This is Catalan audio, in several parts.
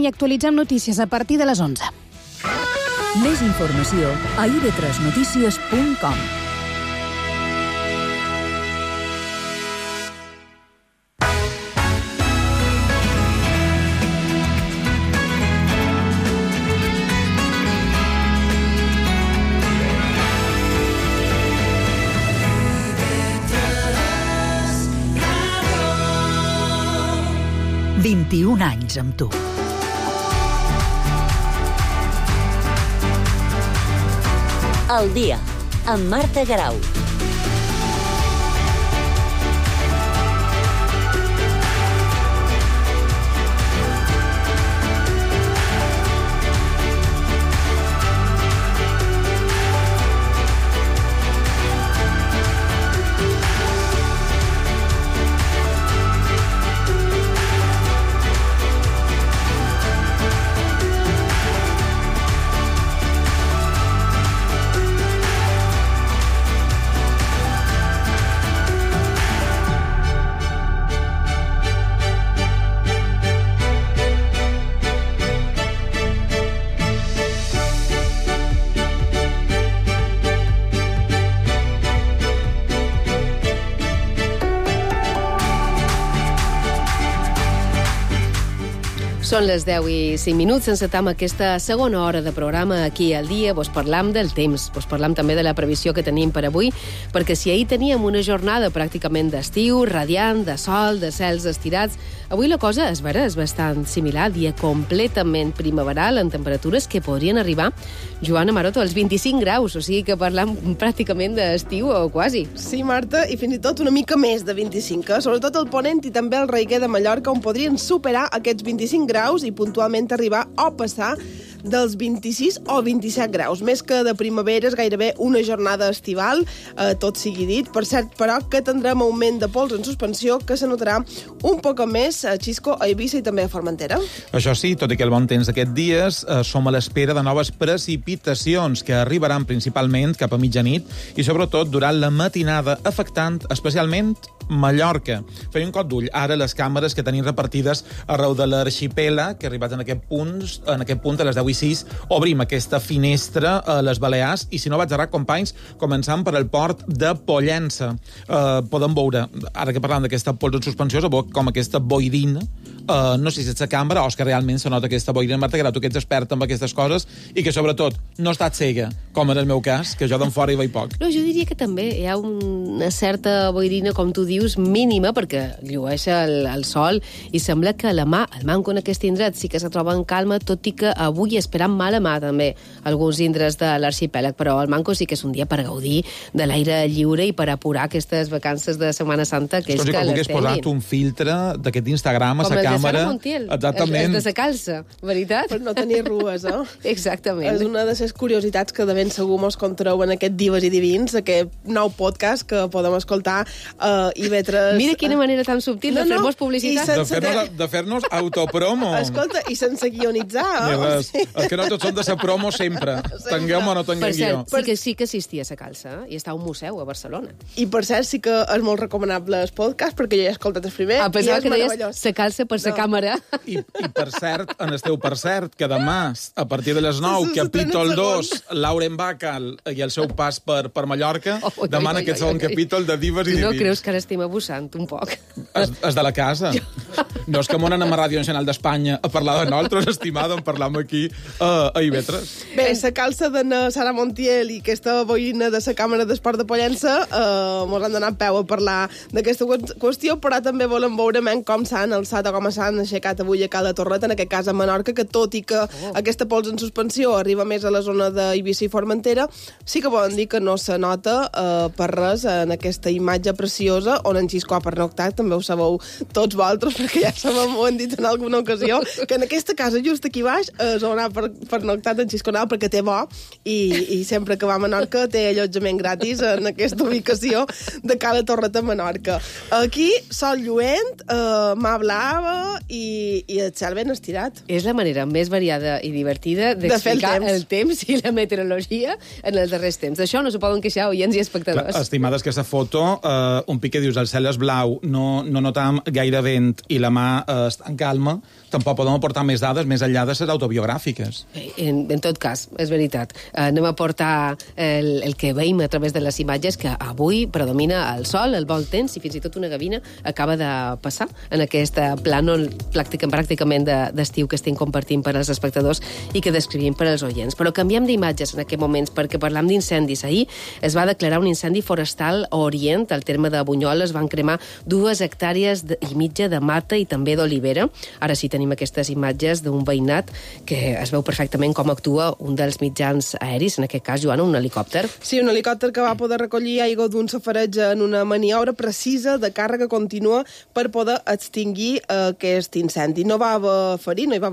I actualitzem notícies a partir de les 11. Més informació a ib3notícies.com. « 21 anys amb tu. El dia, amb Marta Garau. Són les 10 i 5 minuts, encetam aquesta segona hora de programa aquí al dia. Vos parlam del temps, vos parlam també de la previsió que tenim per avui, perquè si ahir teníem una jornada pràcticament d'estiu, radiant, de sol, de cels estirats, avui la cosa és vera, és bastant similar, dia completament primaveral, en temperatures que podrien arribar, Joana Maroto, als 25 graus, o sigui que parlam pràcticament d'estiu o quasi. Sí, Marta, i fins i tot una mica més de 25, sobretot el Ponent i també el Reguer de Mallorca, on podrien superar aquests 25 graus i puntualment arribar o passar dels 26 o 27 graus. Més que de primavera, és gairebé una jornada estival, tot sigui dit. Per cert, però, que tindrem augment de pols en suspensió que se notarà un poc més a Xisco, a Eivissa i també a Formentera. Això sí, tot i que el bon temps d'aquests dies, som a l'espera de noves precipitacions que arribaran principalment cap a mitjanit i sobretot durant la matinada, afectant especialment Mallorca. Feia un cop d'ull ara les càmeres que tenim repartides arreu de l'arxipèlag, que arribat en aquest punt a les 10:06, obrim aquesta finestra a les Balears i, si no vaig errar, companys, començant per el port de Pollença. Podem veure, ara que parlem d'aquesta pols en suspensió, com aquesta boirina, no sé si és la càmera o és que realment se nota aquesta boirina. Marta Garau, tu que ets experta en aquestes coses i que, sobretot, no ha estat cega, com en el meu cas, que jo d'en fora hi veig poc. No, jo diria que també hi ha una certa boirina, com tu dius, mínima, perquè llueix el sol i sembla que el manco en aquest indret sí que se troba en calma, tot i que avui esperam mala mà també alguns indrets de l'arxipèlag, però el manco sí que és un dia per gaudir de l'aire lliure i per apurar aquestes vacances de Setmana Santa, que és que les tinguin. Com posat un filtre d'aquest d'Instagram a la càmera. Com el de Sara Montiel, el de sa calça, veritat? Per no tenir rues, Exactament. És una de les curiositats que de ben segur mos contareu en aquest Dives i Divins, aquest nou podcast que podem escoltar i vetre... Mira quina manera tan subtil de fer-nos publicitat. De fer-nos autopromo. Escolta, i sense guionitzar. És que no tots som de sa promo sempre. Tinguem o no tinguem guió. Per cert, sí que assistia a sa calça i està a un museu a Barcelona. I per cert, sí que és molt recomanable el podcast, perquè jo he escoltat el primer. Pensava que deies sa calça per sa càmera. I per cert, que demà, a partir de les 9, capítol 2, Lauren Bacall i el seu pas per Mallorca, demà en aquest segon capítol de Dives i Divins. No creus que ara estem abusant un poc? És de la casa. No és que m'ho anem a Ràdio Nacional d'Espanya a parlar de nosaltres, estimada, en parlam aquí a IB3. Bé, la calça de Sara Montiel i aquesta boina de la càmera d'esport de Pollença mos han donat peu a parlar d'aquesta qüestió, però també volem veure com s'han alçat o com s'han aixecat avui a Cala Torreta, en aquest cas a Menorca, que tot i que aquesta pols en suspensió arriba més a la zona d'Eivissa i Formentera, sí que poden dir que no se nota per res en aquesta imatge preciosa on en Xisco ha pernoctat, també ho sabeu tots vosaltres, perquè ja ho hem dit en alguna ocasió, que en aquesta casa just aquí baix és on ha pernoctat en Xisco Nau, perquè té bo i sempre que va a Menorca té allotjament gratis en aquesta ubicació de Cala Torreta a Menorca. Aquí sol lluent, mà blava i el cel ben estirat. És la manera més variada i divertida d'explicar el temps i la meteorologia en els darrers temps. D'això no s'ho poden queixar oients i espectadors. Estimades, que aquesta foto, un pic que dius el cel és blau, no notam gaire vent i la mà demà estar en calma, tampoc podem aportar més dades més enllà de les autobiogràfiques. En tot cas, és veritat. Anem a aportar el que veiem a través de les imatges, que avui predomina el sol, el bon temps, i fins i tot una gavina acaba de passar en aquest plànol pràcticament d'estiu que estem compartint per als espectadors i que descrivim per als oients. Però canviem d'imatges en aquests moments, perquè parlam d'incendis. Ahir es va declarar un incendi forestal a Orient, al terme de Bunyoles, van cremar 2 hectàrees i mitja de mata i també d'olivera. Ara sí tenim aquestes imatges d'un veïnat que es veu perfectament com actua un dels mitjans aeris, en aquest cas, Joana, un helicòpter. Sí, un helicòpter que va poder recollir aigua d'un safareig en una maniobra precisa de càrrega contínua per poder extingir aquest incendi. No va haver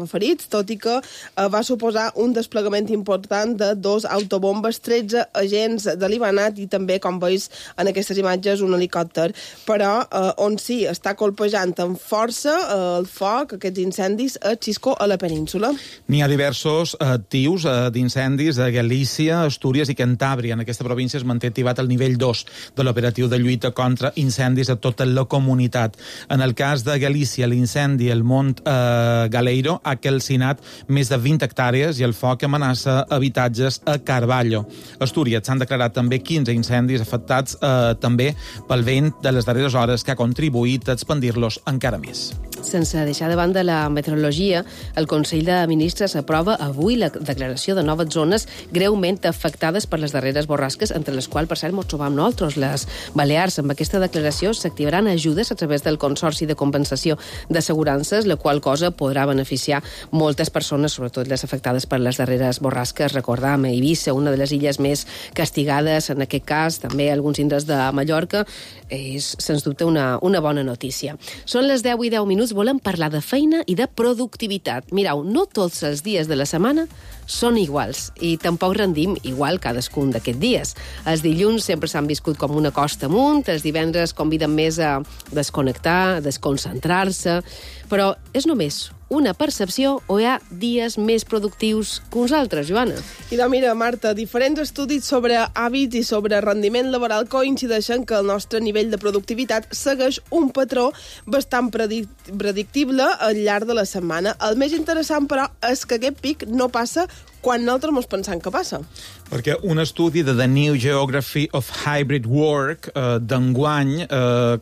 ferits, tot i que va suposar un desplegament important de 2 autobombes, 13 agents de l'Ibanat i també, com veus en aquestes imatges, un helicòpter. Però on sí està colpejant amb força el foc, aquests incendis, a Xisco, a la península. N'hi ha diversos actius d'incendis a Galícia, Astúries i Cantàbria. En aquesta província es manté activat el nivell 2 de l'operatiu de lluita contra incendis a tota la comunitat. En el cas de Galícia, l'incendi al Mont Galeiro ha calcinat més de 20 hectàrees i el foc amenaça habitatges a Carballo. A Astúries s'han declarat també 15 incendis afectats també pel vent de les darreres hores, que ha contribuït a expandir-los encara més. Sense deixar de banda la meteorologia, el Consell de Ministres aprova avui la declaració de noves zones greument afectades per les darreres borrasques, entre les quals, per cert, ens trobam nosaltres, les Balears. Amb aquesta declaració s'activaran ajudes a través del Consorci de Compensació d'Assegurances, la qual cosa podrà beneficiar moltes persones, sobretot les afectades per les darreres borrasques. Recordam, Eivissa, una de les illes més castigades, en aquest cas, també alguns indrets de Mallorca, és, sens dubte, una bona notícia. Són les 10:10. Volem parlar de feina i de productivitat. Mireu, no tots els dies de la setmana són iguals i tampoc rendim igual cadascun d'aquests dies. Els dilluns sempre s'han viscut com una costa amunt, els divendres conviden més a desconnectar, a desconcentrar-se, però és només una percepció o hi ha dies més productius que uns altres, Joana? I doncs mira, Marta, diferents estudis sobre hàbits i sobre rendiment laboral coincideixen que el nostre nivell de productivitat segueix un patró bastant predictible al llarg de la setmana. El més interessant, però, és que aquest pic no passa quan nosaltres ens pensem que passa. Perquè un estudi de The New Geography of Hybrid Work d'enguany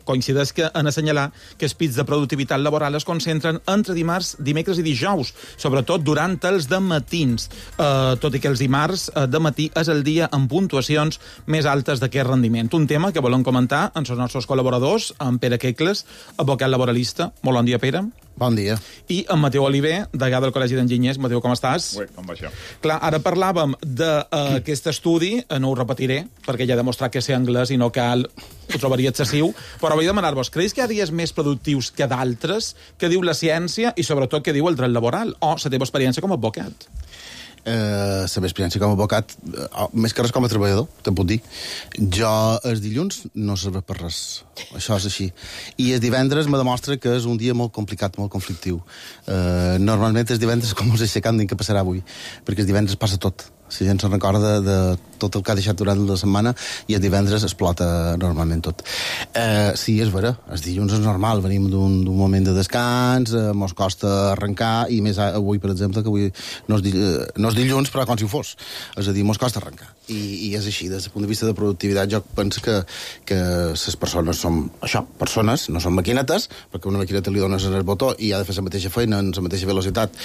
coincideix en assenyalar que els pics de productivitat laboral es concentren entre dimarts, dimecres i dijous, sobretot durant els dematins, tot i que els dimarts de matí és el dia amb puntuacions més altes d'aquest rendiment. Un tema que volem comentar amb els nostres col·laboradors, amb Pere Quecles, advocat laboralista. Molt bon dia, Pere. Bon dia. I amb Mateu Oliver, degà del Col·legi d'Enginyers. Mateu, com estàs? Bé, com va això? Clar, ara parlàvem d'aquest estudi, no ho repetiré, perquè ja he demostrat que sé anglès i no cal, ho trobaria excessiu, però vull demanar-vos, creus que hi ha dies més productius que d'altres? Què diu la ciència i, sobretot, què diu el dret laboral? O la teva experiència com a advocat? La meva experiència com a advocat, més que res com a treballador, te'n puc dir. Jo, els dilluns, no serveix per res. Això és així. I el divendres me demostra que és un dia molt complicat, molt conflictiu. Normalment els divendres com us aixecant dic que passarà avui, perquè els divendres passa tot. La gent se'n recorda de tot el que ha deixat durant la setmana i el divendres explota normalment tot. Sí, és vera, els dilluns és normal, venim d'un moment de descans, mos costa arrencar, i més avui, per exemple, que avui no és dilluns, però com si ho fos. És a dir, mos costa arrencar. I és així, des del punt de vista de productivitat, jo penso que les persones som això, persones, no són maquinetes, perquè una maquineta li dones el botó i ha de fer la mateixa feina en la mateixa velocitat,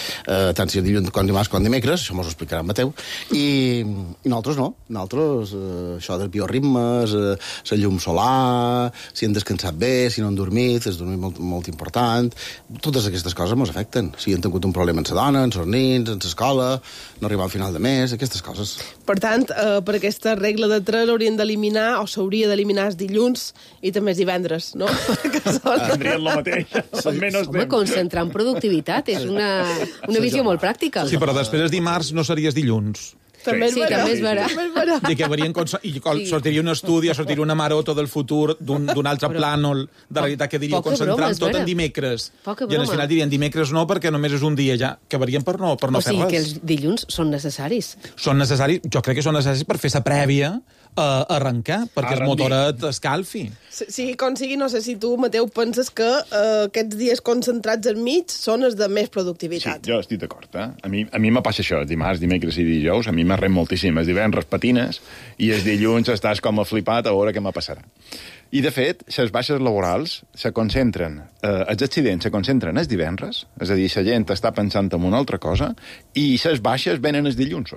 tant si és dilluns com dimarts com dimecres, això mos ho explicarà en Mateu. I nosaltres no. Nosaltres, això dels bioritmes, la llum solar, si hem descansat bé, si no hem dormit, és dormir molt important. Totes aquestes coses ens afecten. Si hem tingut un problema amb la dona, amb els nins, amb l'escola, no arribar al final de mes, aquestes coses. Per tant, per aquesta regla de 3 l'haurien d'eliminar, o s'hauria d'eliminar els dilluns i també els divendres, no? Tindrien el mateix. Home, concentrar en productivitat és una visió molt pràctica. Sí, però després els dimarts no series dilluns. També és vera. també és vera. També és vera. I que varien sortiria un estudi o sortiria una maroto del futur d'un altre plànol de realitat que diria poca concentrant broma, és tot vera. en dimecres. Poca I al broma. final dirien dimecres no perquè només és un dia ja, que varien per no O fer sigui que res. els dilluns són necessaris. Són necessaris, jo crec que són necessaris per fer sa prèvia a arrencar, perquè el motoret escalfi. Sigui com sigui, no sé si tu, Mateu, penses que aquests dies concentrats enmig són els de més Sí, productivitat. jo estic d'acord, eh? A mi me passa això, dimarts, dimecres i dijous, a mi m'arrem moltíssim. Els divendres patines i els dilluns estàs com a flipat a veure què me passarà. I, de fet, les baixes laborals se concentren, els accidents se concentren els divendres, és a dir, la gent està pensant en una altra cosa, i les baixes venen els dilluns.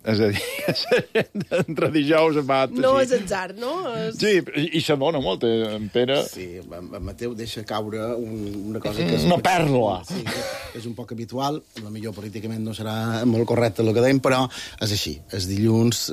És a dir, la gent entre dijous va... No és atzar, no? Sí, i s'adona molt, en Pere... Sí, en Mateu deixa caure una cosa que... Una pèrdola. Sí, que és un poc habitual, potser políticament no serà molt correcte el que dèiem, però és així. Els dilluns...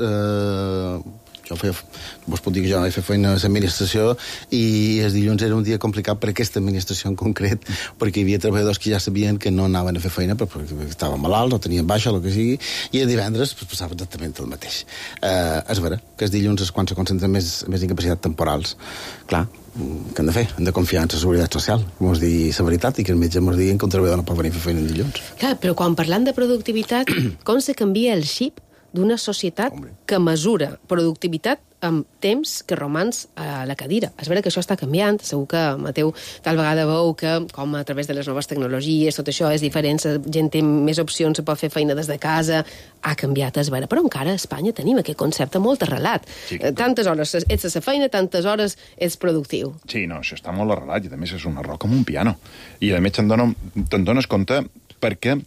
vos puc dir que jo he fet feina a l'administració i els dilluns era un dia complicat per aquesta administració en concret, perquè hi havia treballadors que ja sabien que no anaven a fer feina perquè estaven malalts o tenien baixa, el que sigui, i el divendres passava exactament el mateix. És vera que els dilluns és quan se concentren més incapacitats temporals. Clar, què hem de fer? Hem de confiar en la seguretat social, mos dir la veritat, i que els metges mos diguin que un treballador no pot venir a fer feina en dilluns. Clar, però quan parlant de productivitat, com se canvia el xip d'una societat que mesura productivitat amb temps que romans a la cadira. És vera que això està canviant, segur que Mateu tal vegada veu que com a través de les noves tecnologies tot això és diferent, la gent té més opcions, se pot fer feina des de casa, ha canviat, és vera, però encara a Espanya tenim aquest concepte molt arrelat. Sí. Tantes hores ets a la feina, tantes hores ets productiu. Sí, no, això està molt arrelat i a més és un error com un piano. I a més te'n dones compte perquè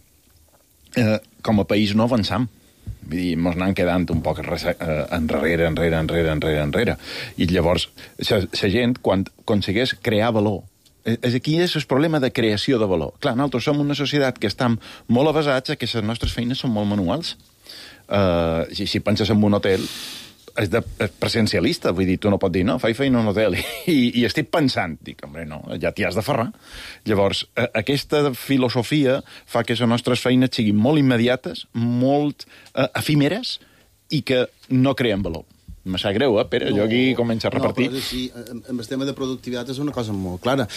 com a país no avançam. Vull dir, mos anant quedant un poc enrere. I llavors, la gent, quan aconsegueix crear valor, aquí és el problema de creació de valor. Clar, nosaltres som una societat que estem molt avasats a que les nostres feines són molt manuals. Si penses en un hotel, és presencialista, vull dir, tu no pots dir, no, faig feina en un hotel, i estic pensant, dic, home, no, ja t'hi has de ferrar. Llavors, aquesta filosofia fa que les nostres feines siguin molt immediates, molt efímeres, i que no creen valor. Me sap greu, Pere? Jo aquí començo a repartir. No, però sí, amb el tema de productivitat és una cosa molt clara.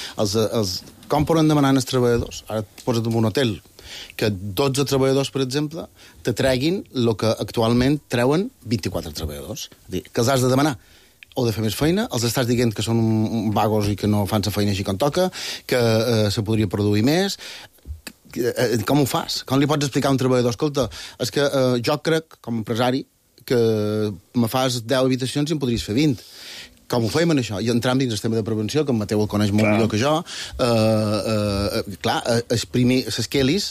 Com poden demanar als treballadors? Ara et posa't en un hotel, que 12 treballadors, per exemple, te treguin el que actualment treuen 24 treballadors. És dir, que els has de demanar o de fer més feina, els estàs dient que són vagos i que no fan la feina així com toca, que se podria produir més. Com ho fas? Com li pots explicar a un treballador? Escolta, és que jo crec, com a empresari, que me fas 10 habitacions i en podries fer 20. Com ho fèiem en això? I entrant dins el tema de prevenció, que en Mateu el coneix molt millor que jo, exprimir les quelis,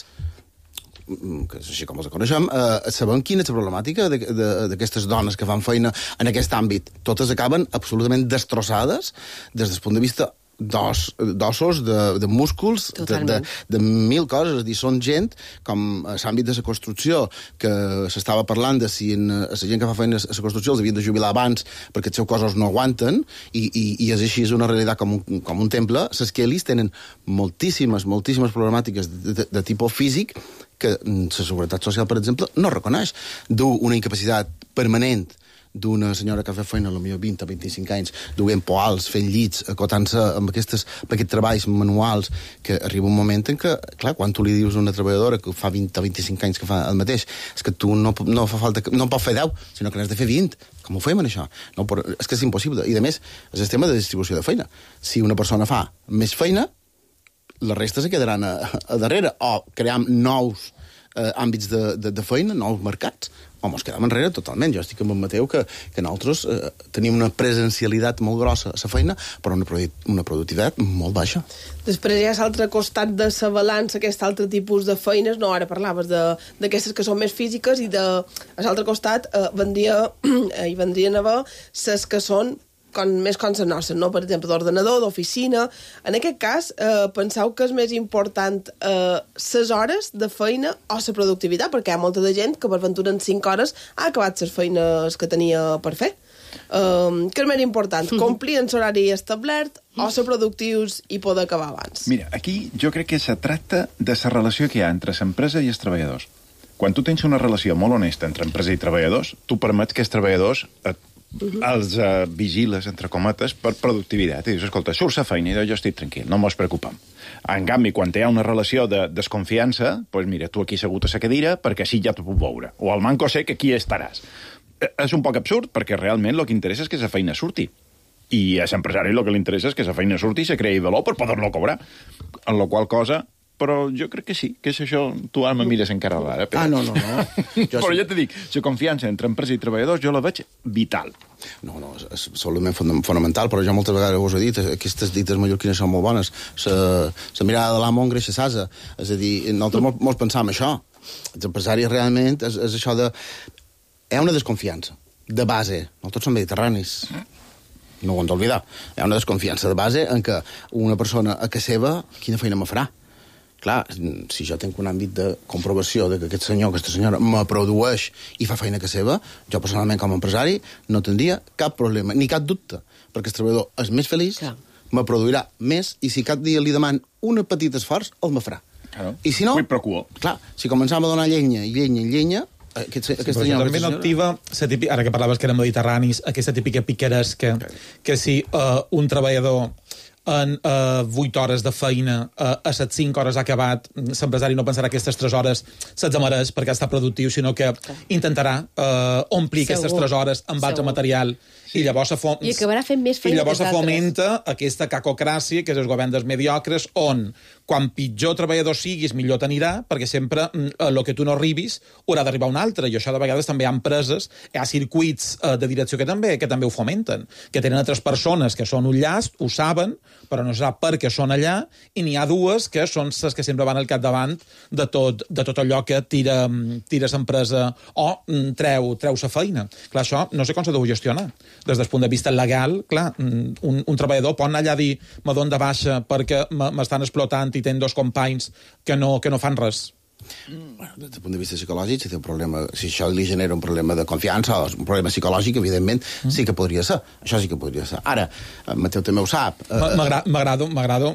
que és així com els coneixem, sabem quina és la problemàtica d'aquestes dones que fan feina en aquest àmbit. Totes acaben absolutament destrossades des del punt de vista d'ossos, de músculs, de mil coses. És a dir, són gent, com a l'àmbit de la construcció, que s'estava parlant de si la gent que fa feina a la construcció els havien de jubilar abans perquè els seus cossos no aguanten, i és així, és una realitat com un temple. Les quelis tenen moltíssimes problemàtiques de tipus físic que la Seguretat Social, per exemple, no reconeix. Du una incapacitat permanent d'una senyora que fa feina potser 20 o 25 anys, duent poals, fent llits, acotant-se amb aquests treballs manuals, que arriba un moment en què, clar, quan tu li dius a una treballadora que fa 20 o 25 anys que fa el mateix, és que tu no pots fer 10, sinó que n'has de fer 20. Com ho fem, això? No, és que és impossible. I, a més, és el tema de distribució de feina. Si una persona fa més feina, la resta se quedaran a darrere, o cream nous àmbits de feina, nous mercats, o mos quedem enrere totalment. Jo estic amb en Mateu que nosaltres tenim una presencialitat molt grossa a la feina, però una productivitat molt baixa. Després hi ha l'altre costat de la balança, aquest altre tipus de feines, no, ara parlaves d'aquestes que són més físiques, i a l'altre costat vendrien a haver les que són més com les nostres, no? Per exemple, d'ordenador, d'oficina. En aquest cas, penseu que és més important les hores de feina o la productivitat, perquè hi ha molta de gent que per ventura en 5 hores ha acabat les feines que tenia per fer. Què és més important? Complir en l'horari establert o ser productius i poder acabar abans? Mira, aquí jo crec que se tracta de la relació que hi ha entre l'empresa i els treballadors. quan tu tens una relació molt honesta entre empresa i treballadors, tu permets que els treballadors els vigiles, entre cometes, per productivitat. I dius, escolta, surts a feina i jo estic tranquil, no mos preocupem. En canvi, quan hi ha una relació de desconfiança, doncs mira, tu aquí assegut a la cadira perquè així ja t'ho puc veure. O al manco sé que aquí estaràs. És un poc absurd, perquè realment el que interessa és que la feina surti. I a l'empresari el que li interessa és que la feina surti i se creï valor per poder-lo cobrar. En la qual cosa... Però jo crec que sí, que és això... Tu ara me mires encara d'ara. Però... no. Però ja t'he dit, la confiança entre empresa i treballadors jo la veig vital. No, és absolutament fonamental, però jo moltes vegades us he dit, aquestes dites mallorquines són molt bones. La mirada de l'amo engreixa l'asa. És a dir, nosaltres molts pensam això. Els empresaris realment és això de... Hi ha una desconfiança, de base. Nosaltres som mediterranis. No ho hem d'oblidar. Hi ha una desconfiança de base en què una persona a casa seva, quina feina me farà? Clar, si jo tinc un àmbit de comprovació de que aquest senyor, aquesta senyora, me produeix i fa feina que seva, jo personalment com a empresari no tindria cap problema, ni cap dubte, perquè el treballador és més feliç, me produirà més, i si cap dia li deman un petit esforç, el me farà. Claro. I si no, clar, si començam a donar llenya, aquesta senyora... També no activa, ara que parlaves que eren mediterranis, aquesta típica picaresca, que si un treballador en 8 hores de feina a les 5 hores ha acabat, l'empresari no pensarà que aquestes 3 hores se'ls mereix perquè està productiu, sinó que intentarà omplir aquestes 3 hores amb altre material i llavors i acabarà fent més feina. I llavors se fomenta aquesta cacocràcia, que és el govern dels mediocres, on quan pitjor treballador siguis, millor t'anirà, perquè sempre el que tu no arribis haurà d'arribar un altre, i això de vegades també hi ha empreses, hi ha circuits de direcció que també ho fomenten, que tenen altres persones que són un llast, ho saben, però no sap per què són allà, i n'hi ha dues que són les que sempre van al capdavant de tot allò que tira l'empresa o treu la feina. Clar, això no sé com s'ha de gestionar. Des del punt de vista legal, clar, un treballador pot anar allà a dir me dono de baixa perquè m'estan explotant i tenen 2 companys que no fan res. Bueno, des del punt de vista psicològic, si té un problema, si això li genera un problema de confiança o un problema psicològic, evidentment, sí que podria ser. Això sí que podria ser. Ara, Mateu també ho sap. M'agrada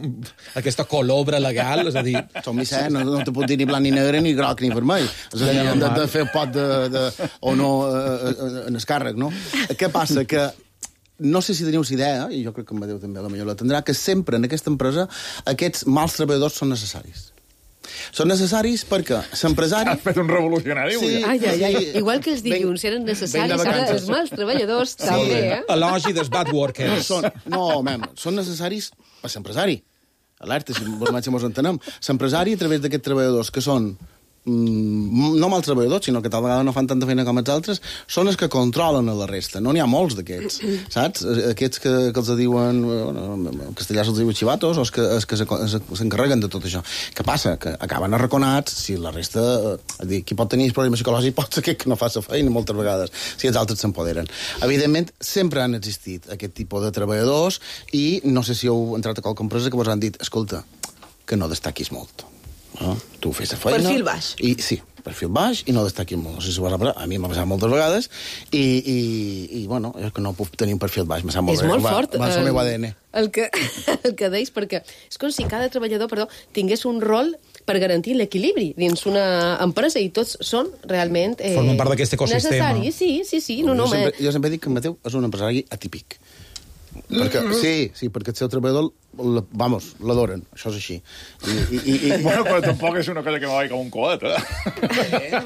aquesta colobra legal, és a dir... Som Vicent, no te pot dir ni blanc ni negre, ni groc ni vermell. És a dir, de fer pot o no en el càrrec, no? Què passa? Que no sé si teniu idea, i jo crec que en Mateu també potser la tindrà, que sempre en aquesta empresa aquests mals treballadors són necessaris. Són necessaris perquè l'empresari... Has fet un revolucionari. Sí, igual que els dilluns eren necessaris, ara els mals treballadors també, Elogi dels bad workers. Són necessaris per l'empresari. Alerta, si mos entenem. L'empresari, a través d'aquests treballadors que són no mal treballadors, sinó que tal vegada no fan tanta feina com els altres, són els que controlen la resta. No n'hi ha molts d'aquests, saps? Aquests que els diuen, en castellà se'ls diu xivatos, o els que s'encarreguen de tot això. Què passa? Que acaben arraconats, si la resta... Qui pot tenir problemes psicològics pot ser que no fa la feina moltes vegades, si els altres s'empoderen. Evidentment, sempre han existit aquest tipus de treballadors i no sé si heu entrat a qualque empresa que vos han dit, escolta, que no destaquis molt. No? Tu fes la feina... Perfil baix. Sí, perfil baix i no destaquis molt. No sé si a mi m'ha passat moltes vegades i bueno, és que no puc tenir un perfil baix. És molt fort va el meu ADN. El que deis, perquè és com si cada treballador tingués un rol per garantir l'equilibri dins una empresa i tots són realment formen part d'aquest ecosistema. Necessaris, sí. Jo sempre dic que en Mateu és un empresari atípic. Sí, perquè el seu treballador l'adoren, això és així. Bueno, però tampoc és una cosa que me va com un coet,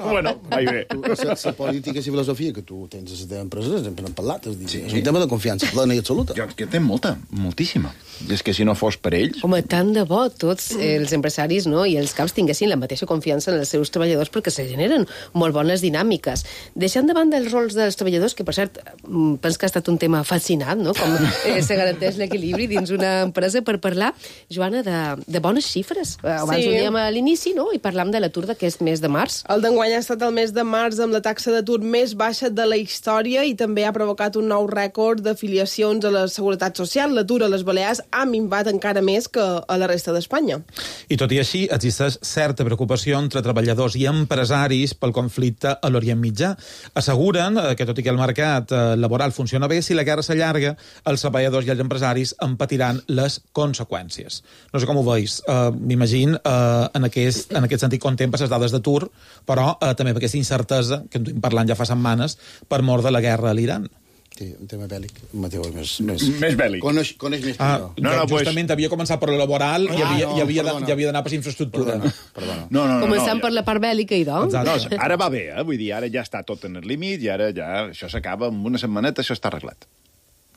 Bueno, vai bé. La política i la filosofia que tu tens a les teves empreses, sempre n'hem parlat, és un tema de confiança plena i absoluta. Jo tenc moltíssima. És que si no fos per ells... Home, tant de bo tots els empresaris i els caps tinguessin la mateixa confiança en els seus treballadors perquè se generen molt bones dinàmiques. Deixant de banda els rols dels treballadors, que per cert, penso que ha estat un tema fascinant, com se garanteix l'equilibri dins una empresa, per parlar, Joana, de bones xifres. Abans ho dèiem a l'inici, i parlam de l'atur d'aquest mes de març. El d'enguany ha estat el mes de març amb la taxa d'atur més baixa de la història i també ha provocat un nou rècord d'afiliacions a la Seguretat Social. L'atur a les Balears ha minvat encara més que a la resta d'Espanya. I tot i així, existeix certa preocupació entre treballadors i empresaris pel conflicte a l'Orient Mitjà. Asseguren que, tot i que el mercat laboral funciona bé, si la guerra s'allarga, els treballadors i els empresaris en patiran les conseqüències. No sé com ho veus. M'imagino, en aquest sentit, contemples les dades d'atur, però també per aquesta incertesa que en duim parlant ja fa setmanes per mort de la guerra a l'Iran. Sí, un tema bèl·lic. Mateu és més bèl·lic. Coneix més que jo. Justament havia començat per la laboral i havia d'anar per infraestructura. Perdona. Començant per la part bèl·lica, idò. No, ara va bé, vull dir, ara ja està tot en el límit i ara ja això s'acaba, en una setmaneta això està arreglat.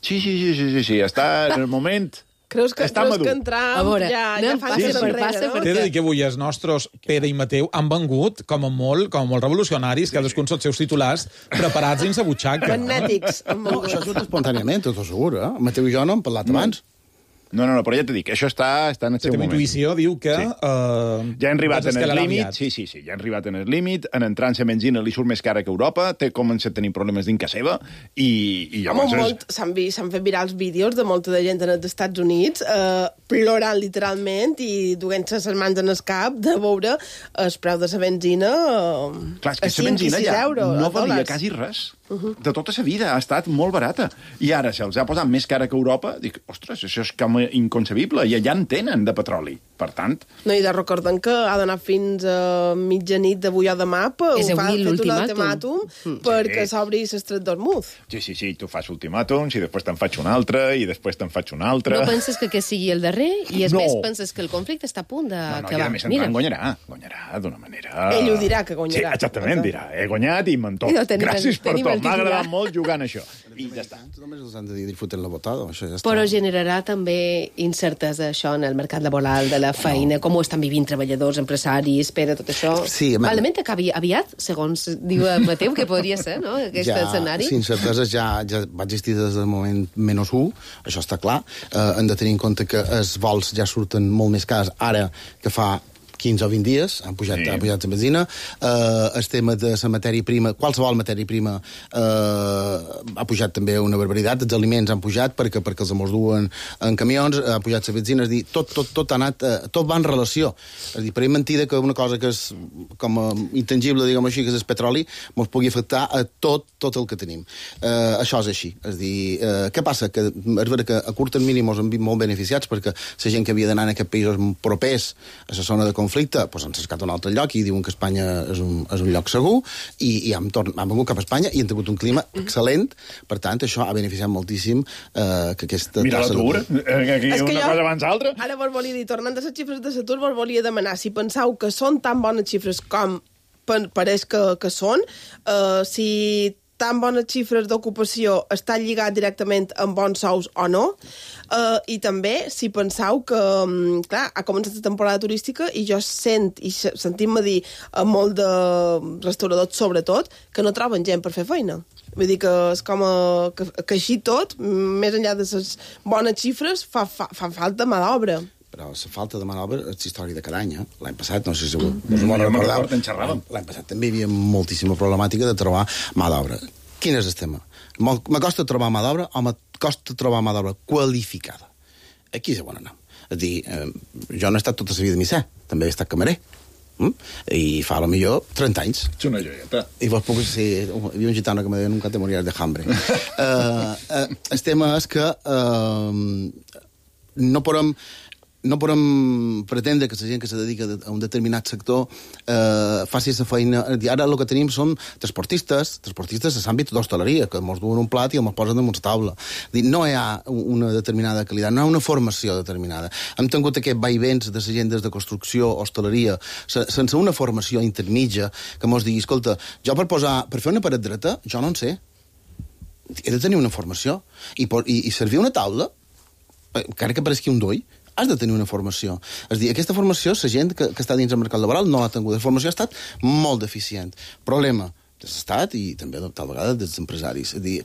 Sí, està en el moment... Creus que en Trump ja fa sí, enrere, no? T'he de dir que avui els nostres Pere i Mateu han vengut com a molt revolucionaris, cadascun els seus titulars preparats dins la butxaca. Magnètics. No, això surt espontàniament, tot segur, eh? Mateu i jo no hem parlat abans. No, però ja t'he dit, això està en el seu moment. La intuïció diu que... Ja han arribat en el límit, sí, ja han arribat en el límit, en entrant la benzina li surt més cara que Europa, té començat a tenir problemes dins casa seva, i llavors... S'han fet virals vídeos de molta de gent als Estats Units plorant literalment i duent-se les mans en el cap de veure el preu de la benzina Clar, és que la benzina ja no valia quasi res. De tota la vida ha estat molt barata. I ara se'ls ha posat més cara que Europa. Dic, ostres, això és com inconcebible. I allà en tenen de petroli. Per tant... No, i de recordem que ha d'anar fins a mitjanit d'avui o demà per és avui l'ultimàtum perquè s'obri l'estret d'Hormuz. Sí, tu fas ultimàtums i després te'n faig un altre i després te'n faig un altre. No penses que aquest sigui el darrer? I és més, penses que el conflicte està a punt d'acabar? No, i a més en guanyarà d'una manera... Ell ho dirà, que guanyarà. Sí, exactament, dirà. He guanyat i mentó. Gràcies per tot. M'ha agradat molt jugant això. I ja està. Només els han de dir disfruten la votada, això ja està. Però generarà també incertesa això en el mercat laboral de la feina, com ho estan vivint treballadors, empresaris, Pere, tot això. Sí, probablement acabi aviat, segons diu Mateu, que podria ser, no?, aquest escenari. Sí, incertesa ja va existir des del moment -1, això està clar. Hem de tenir en compte que els vols ja surten molt més cars ara que fa 15 o 20 dies, han pujat la benzina. El tema de la matèria prima, qualsevol matèria prima ha pujat també una barbaritat. Els aliments han pujat perquè els mos duen en camions, ha pujat la benzina, és dir, tot ha anat, tot va en relació. És dir, per mentida que una cosa que és com intangible, diguem així, que és el petroli, mos pugui afectar a tot el que tenim. Això és així. És dir, què passa? Que és vera que a curt termini mos hem vist molt beneficiats perquè la gent que havia d'anar en aquests països propers a la zona de conflicte, doncs han cercat un altre lloc i diuen que Espanya és un lloc segur i han vengut cap a Espanya i han tingut un clima excel·lent. Per tant, això ha beneficiat moltíssim que aquesta... Mira l'atur, aquí una cosa abans l'altra. Ara vos volia dir, tornant a les xifres de l'atur, vos volia demanar si penseu que són tan bones xifres com pareix que són, si tan bones xifres d'ocupació estan lligats directament amb bons sous o no, i també si penseu que, clar, ha començat la temporada turística i jo sentim-me dir a molt de restauradors, sobretot, que no troben gent per fer feina. Vull dir que és com que així tot, més enllà de les bones xifres, fa falta mà d'obra. Però la falta de mà d'obra és història de cada any. L'any passat, no sé si us recordeu, l'any passat també hi havia moltíssima problemàtica de trobar mà d'obra. Quin és el tema? M'acosta trobar mà d'obra o m'acosta trobar mà d'obra qualificada? Aquí és on anem. És a dir, jo no he estat tota la vida de misser, també he estat camarer. I fa, potser, 30 anys. És una joieta. I vos puc ser... Hi havia un gitano que me deia nunca te moriràs de hambre. El tema és que no podem pretendre que la gent que se dedica a un determinat sector faci la feina. Ara el que tenim són transportistes a l'àmbit d'hostaleria, que ens duen un plat i ens posen damunt la taula. No hi ha una determinada qualitat, no hi ha una formació determinada. Hem tingut aquest vaivents de la gent des de construcció, hostaleria, sense una formació intermitja que ens digui, escolta, jo per fer una paret dreta, jo no en sé. He de tenir una formació. I servir una taula, encara que pareixi un doll, has de tenir una formació. És a dir, aquesta formació, la gent que està dins el mercat laboral no l'ha tingut. La formació ha estat molt deficient. Problema de l'Estat i també, tal vegada, dels empresaris. És a dir,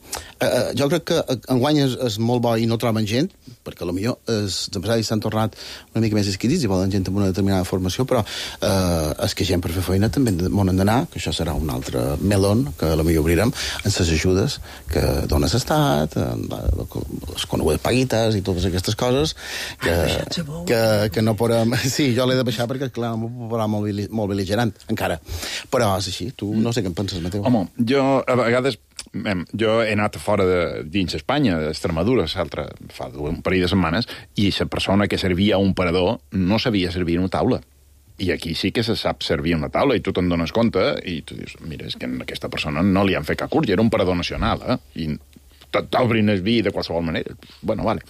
jo crec que enguany és molt bo i no troben gent, perquè potser els empresaris s'han tornat una mica més esquitits i volen gent amb una determinada formació, però és que gent per fer feina també m'on han d'anar, que això serà un altre melon que potser obrirem en les ajudes que dona l'Estat, les conegudes paguites i totes aquestes coses que no podem... Sí, jo l'he de baixar perquè, clar, m'ho posarà molt bel·ligerant, encara. Però és així. Tu no sé què en penses, Mateu. Home, jo a vegades Jo he anat fora dins Espanya, d'Extremadura, fa un parell de setmanes, i la persona que servia un parador no sabia servir una taula. I aquí sí que se sap servir una taula, i tu te'n dones compte, i tu dius, mira, és que a aquesta persona no li han fet cap curs, i era un parador nacional, i t'obrin el vi de qualsevol manera. Bueno, vale.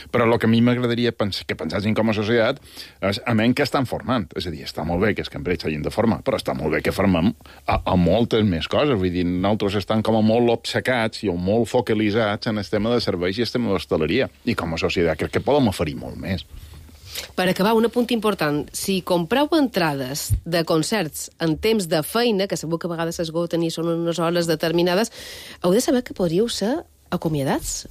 Però el que a mi m'agradaria que pensessin com a societat és a menys que estan formant. És a dir, està molt bé que els cambrers s'hagin de formar, però està molt bé que formem a moltes més coses. Vull dir, nosaltres estan com a molt obcecats i molt focalitzats en el tema de serveis i el tema d'hostaleria. I com a societat crec que podem oferir molt més. Per acabar, un apunt important. Si compreu entrades de concerts en temps de feina, que segur que a vegades s'esgoten i són unes hores determinades, heu de saber que podríeu ser acomiadats.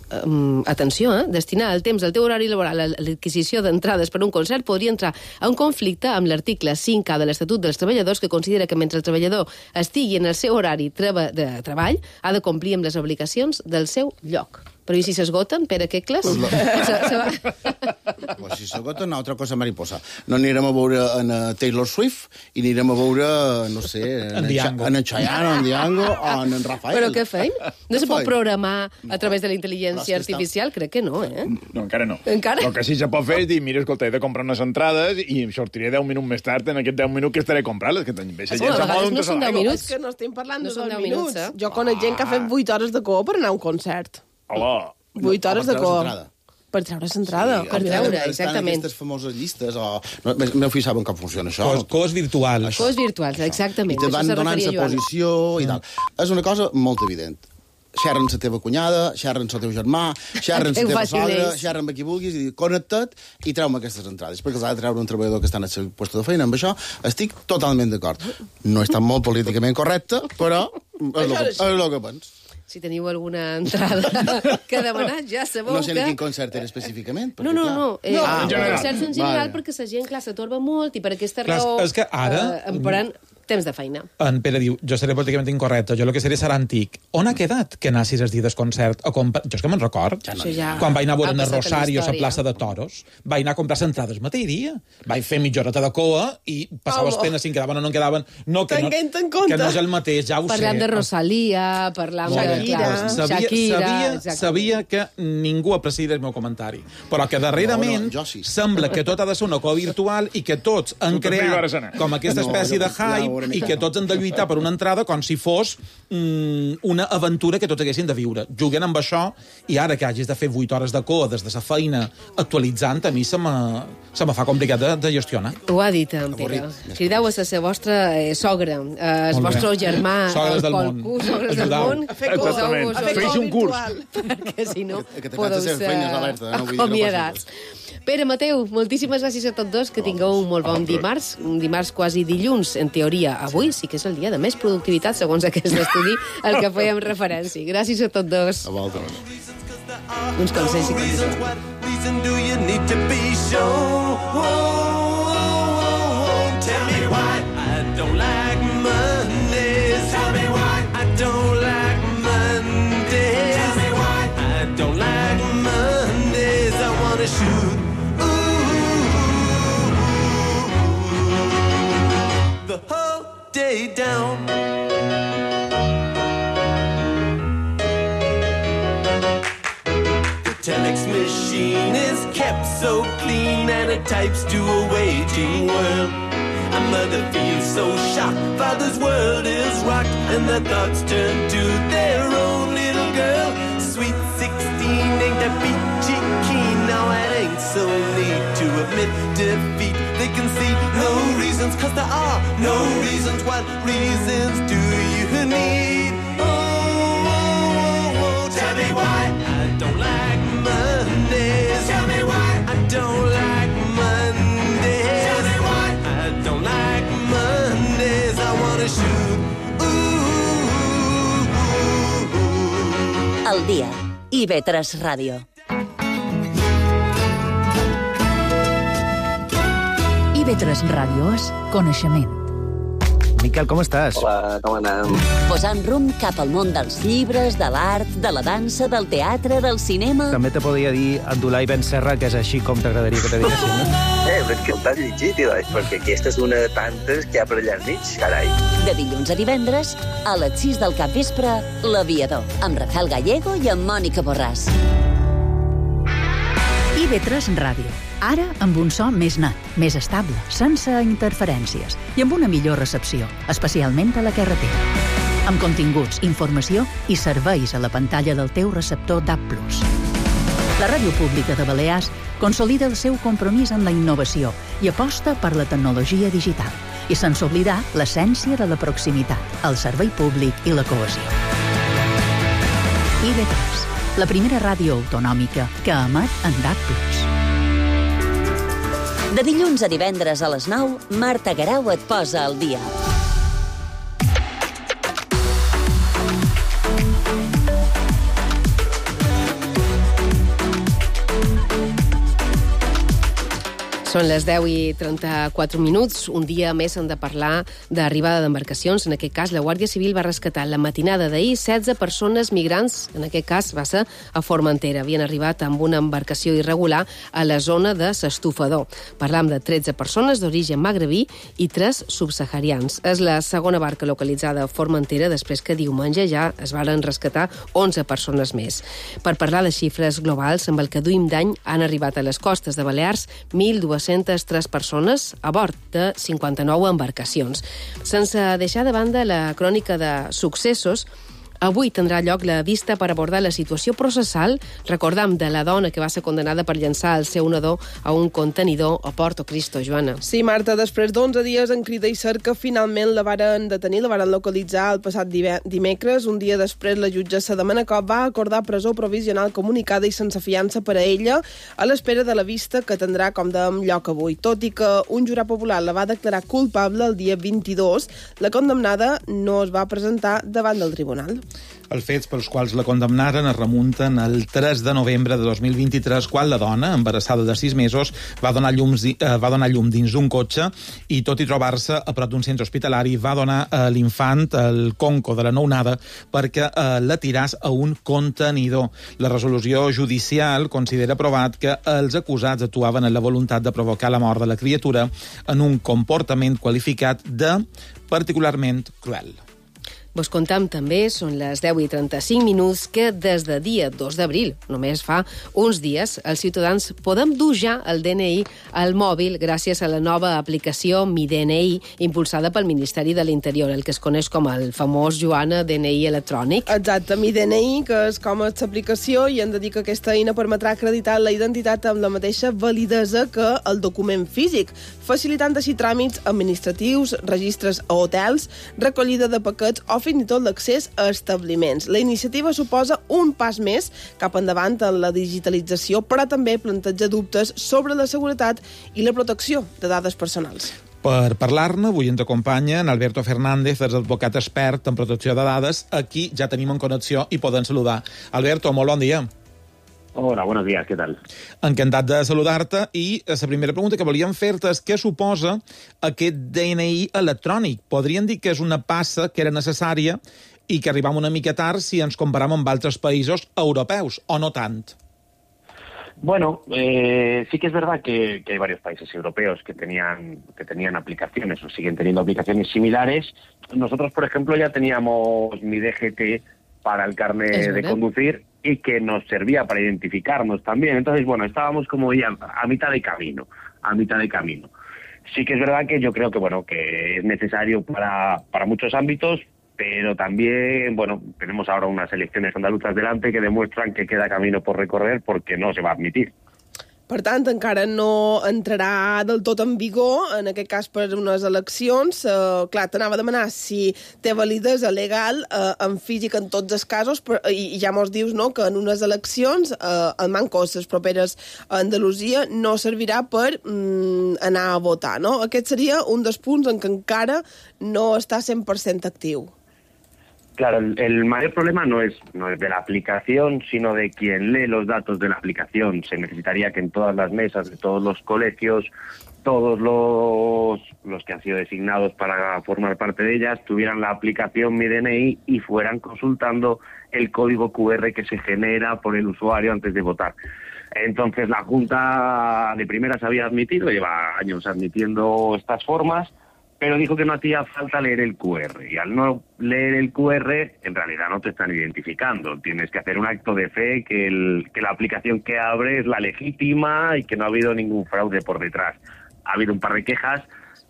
Atenció, destinar el temps del teu horari laboral a l'adquisició d'entrades per un concert podria entrar a un conflicte amb l'article 5A de l'Estatut dels Treballadors, que considera que mentre el treballador estigui en el seu horari de treball ha de complir amb les obligacions del seu lloc. Però i si s'esgoten, Pere Quecles? Pues si s'esgoten, una altra cosa mariposa. No anirem a veure en Taylor Swift i anirem a veure, no sé, en Chayanne, en Diango o en Rafael. Però què feim? No se pot programar a través de la intel·ligència artificial? Crec que no, eh? No, encara no. Encara? El que sí se pot fer és dir, mira, escolta, he de comprar unes entrades i em sortiré 10 minuts més tard en aquests 10 minuts que estaré comprant-les, que també a vegades no són 10 minuts. És que no estem parlant de 2 minuts. minuts. Jo conec gent que ha fet 8 hores de cua per anar a un concert. Hola. 8 hores de cua. Per treure l'entrada. Per treure, exactament. Aquestes famoses llistes, o... No fi saben com funciona això. Cos virtuals. Cos virtuals, exactament. I te van donant la posició i tal. És una cosa molt evident. Xerren la teva cunyada, xerren el teu germà, xerren la teva sogra, xerren amb qui vulguis, i connecta't i treu-me aquestes entrades, perquè els ha de treure un treballador que està en el seu lloc de feina. Amb això estic totalment d'acord. No és tan molt políticament correcte, però és el que penso. Si teniu alguna entrada que demanar, ja sabeu que... No sé ni quin concert era específicament. No. Concerts en general, perquè la gent, clar, s'atorba molt i per aquesta raó... És que ara... Emparant temps de feina. En Pere diu, jo seré políticament incorrecte, jo el que seré serà antic. On ha quedat que anessis els dies del concert? Jo és que me'n record. Quan vaig anar a veure en Rosario a la plaça de Toros, vaig anar a comprar entrades el mateix dia. Vaig fer mitja horeta de coa i passaves pena si en quedaven o no en quedaven. Que no és el mateix, ja ho sé. Parlant de Rosalía, parlant de... Sabia que ningú apreciaria el meu comentari. Però que darrerament sembla que tot ha de ser una coa virtual i que tots han creat com aquesta espècie de hype i que tots han de lluitar per una entrada com si fos una aventura que tots haguessin de viure. Juguen amb això i ara que hagis de fer 8 hores de coa des de la feina actualitzant, a mi se me fa complicat de gestionar. Ho ha dit en Pere. Crideu a la vostra sogra, el vostre germà, sogres del món. Sogres del món. Fes un curs. Perquè si no podeu ser acomiadats. Pere, Mateu, moltíssimes gràcies a tots dos, que tingueu un molt bon dimarts, un dimarts quasi dilluns, en teoria. Avui sí que és el dia de més productivitat, segons aquest estudi, al que fèiem referència. Gràcies a tots dos. A vosaltres. Uns consells i day down. The telex machine is kept so clean and it types to a waiting world. A mother feels so shocked, father's world is rocked and their thoughts turn to their own little girl. Sweet 16 ain't that peachy keen, now it ain't so neat to admit defeat. They can see no reasons, 'cause there are no reasons. What reasons do you need? Oh, tell me why I don't like Mondays. Tell me why I don't like Mondays. Tell me why I don't like Mondays. I wanna shoot. Al dia. IB3 Ràdio. IB3 Ràdio és coneixement. Miquel, com estàs? Hola, com anem? Posant rumb cap al món dels llibres, de l'art, de la dansa, del teatre, del cinema... També te podria dir Abdulai Ben Serra, que és així com t'agradaria que te diguessin, no? Però que el t'has llegit, perquè aquesta és una de tantes que hi ha per allà al mig, carai. De dilluns a divendres, a les 6 del capvespre, L'Aviador, amb Rafael Gallego i amb Mònica Borràs. IB3 Ràdio. Ara amb un so més net, més estable, sense interferències i amb una millor recepció, especialment a la carretera. Amb continguts, informació i serveis a la pantalla del teu receptor DAB+. La Ràdio Pública de Balears consolida el seu compromís amb la innovació i aposta per la tecnologia digital, i sense oblidar l'essència de la proximitat, el servei públic i la cohesió. IB3, la primera ràdio autonòmica que emet en DAB+. De dilluns a divendres a les 9, Marta Garau et posa al dia. Són les 10:34. Un dia més hem de parlar d'arribada d'embarcacions. En aquest cas, la Guàrdia Civil va rescatar la matinada d'ahir 16 persones migrants. En aquest cas va ser a Formentera. Havien arribat amb una embarcació irregular a la zona de s'Estufador. Parlam de 13 persones d'origen magrebí i 3 subsaharians. És la segona barca localitzada a Formentera després que diumenge ja es varen rescatar 11 persones més. Per parlar de xifres globals, amb el que duim d'any han arribat a les costes de Balears 1.203 persones a bord de 59 embarcacions. Sense deixar de banda la crònica de successos, avui tindrà lloc la vista per abordar la situació processal, recordam, de la dona que va ser condenada per llançar el seu nadó a un contenidor a Porto Cristo, Joana. Sí, Marta, després d'11 dies en crida i cerca, finalment la varen detenir, la varen localitzar el passat dimecres. Un dia després, la jutgessa de Manacor va acordar presó provisional comunicada i sense fiança per a ella, a l'espera de la vista que tindrà, com dèiem, lloc avui. Tot i que un jurat popular la va declarar culpable el dia 22, la condemnada no es va presentar davant del tribunal. Els fets pels quals la condemnaren es remunten al 3 de novembre de 2023, quan la dona, embarassada de 6 mesos, va donar llum dins d'un cotxe i, tot i trobar-se a prop d'un centre hospitalari, va donar a l'infant el conco de la nounada perquè la tiràs a un contenidor. La resolució judicial considera provat que els acusats actuaven en la voluntat de provocar la mort de la criatura en un comportament qualificat de particularment cruel. Vos contam també, són les 10:35, que des de dia 2 d'abril, només fa uns dies, els ciutadans podem dur ja el DNI al mòbil gràcies a la nova aplicació Mi DNI, impulsada pel Ministeri de l'Interior, el que es coneix com el famós, Joana, DNI electrònic. Exacte, Mi DNI, que és com l'aplicació, i hem de dir que aquesta eina permetrà acreditar la identitat amb la mateixa validesa que el document físic, facilitant així tràmits administratius, registres a hotels, recollida de paquets o fins i tot l'accés a establiments. La iniciativa suposa un pas més cap endavant en la digitalització, però també planteja dubtes sobre la seguretat i la protecció de dades personals. Per parlar-ne, avui ens acompanya en Alberto Fernández, és advocat expert en protecció de dades. Aquí ja tenim en connexió i podem saludar. Alberto, molt bon dia. Hola, buenos días, ¿qué tal? Encantat de saludar-te, i la primera pregunta que volíem fer-te és què suposa aquest DNI electrònic. Podríem dir que és una passa que era necessària i que arribam una mica tard si ens comparem amb altres països europeus, o no tant? Bueno, sí que es verdad que hay varios países europeos que tenían aplicaciones o siguen teniendo aplicaciones similares. Nosotros, por ejemplo, ya teníamos mi DGT para el carnet de conducir y que nos servía para identificarnos también. Entonces, bueno, estábamos como ya a mitad de camino. Sí que es verdad que yo creo que, bueno, que es necesario para muchos ámbitos, pero también, bueno, tenemos ahora unas elecciones andaluzas delante que demuestran que queda camino por recorrer porque no se va a admitir. Per tant, encara no entrarà del tot en vigor, en aquest cas per unes eleccions. Clar, t'anava a demanar si té validesa legal en físic en tots els casos, i ja mos dius, no?, que en unes eleccions, el manco, les properes a Andalusia, no servirà per anar a votar, no? Aquest seria un dels punts en què encara no està 100% actiu. Claro, el mayor problema no es de la aplicación, sino de quien lee los datos de la aplicación. Se necesitaría que en todas las mesas de todos los colegios todos los que han sido designados para formar parte de ellas tuvieran la aplicación Mi DNI y fueran consultando el código QR que se genera por el usuario antes de votar. Entonces la Junta de primeras había admitido, lleva años admitiendo estas formas, pero dijo que no hacía falta leer el QR. Y al no leer el QR, en realidad no te están identificando. Tienes que hacer un acto de fe que la aplicación que abre es la legítima y que no ha habido ningún fraude por detrás. Ha habido un par de quejas